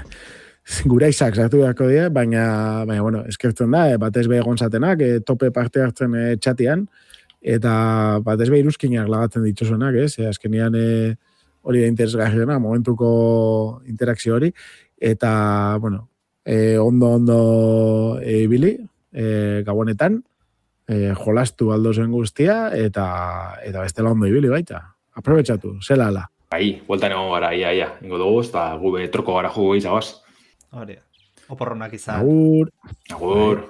gura izak sartu beharko die, baina, baina bueno, eskertzen da, eh, batez be egon zatenak, eh, tope parte hartzen eh, txatian, eta batez be iruzkinak lagatzen dituzuenak, ez? Eh, azkenian eh, hori da interesgarriena, momentuko interakzio hori, eta, bueno, eh, ondo, ondo ibili, eh, gabonetan, eh, jolastu aldo zen guztia, eta, eta bestela ondo ibili baita. Aprobetxatu, zela ala. Bai, bueltan egon gara, ia, ia, ingo dugu, eta gube troko gara jugu izabaz. Hori, oporronak izan. Agur. Agur.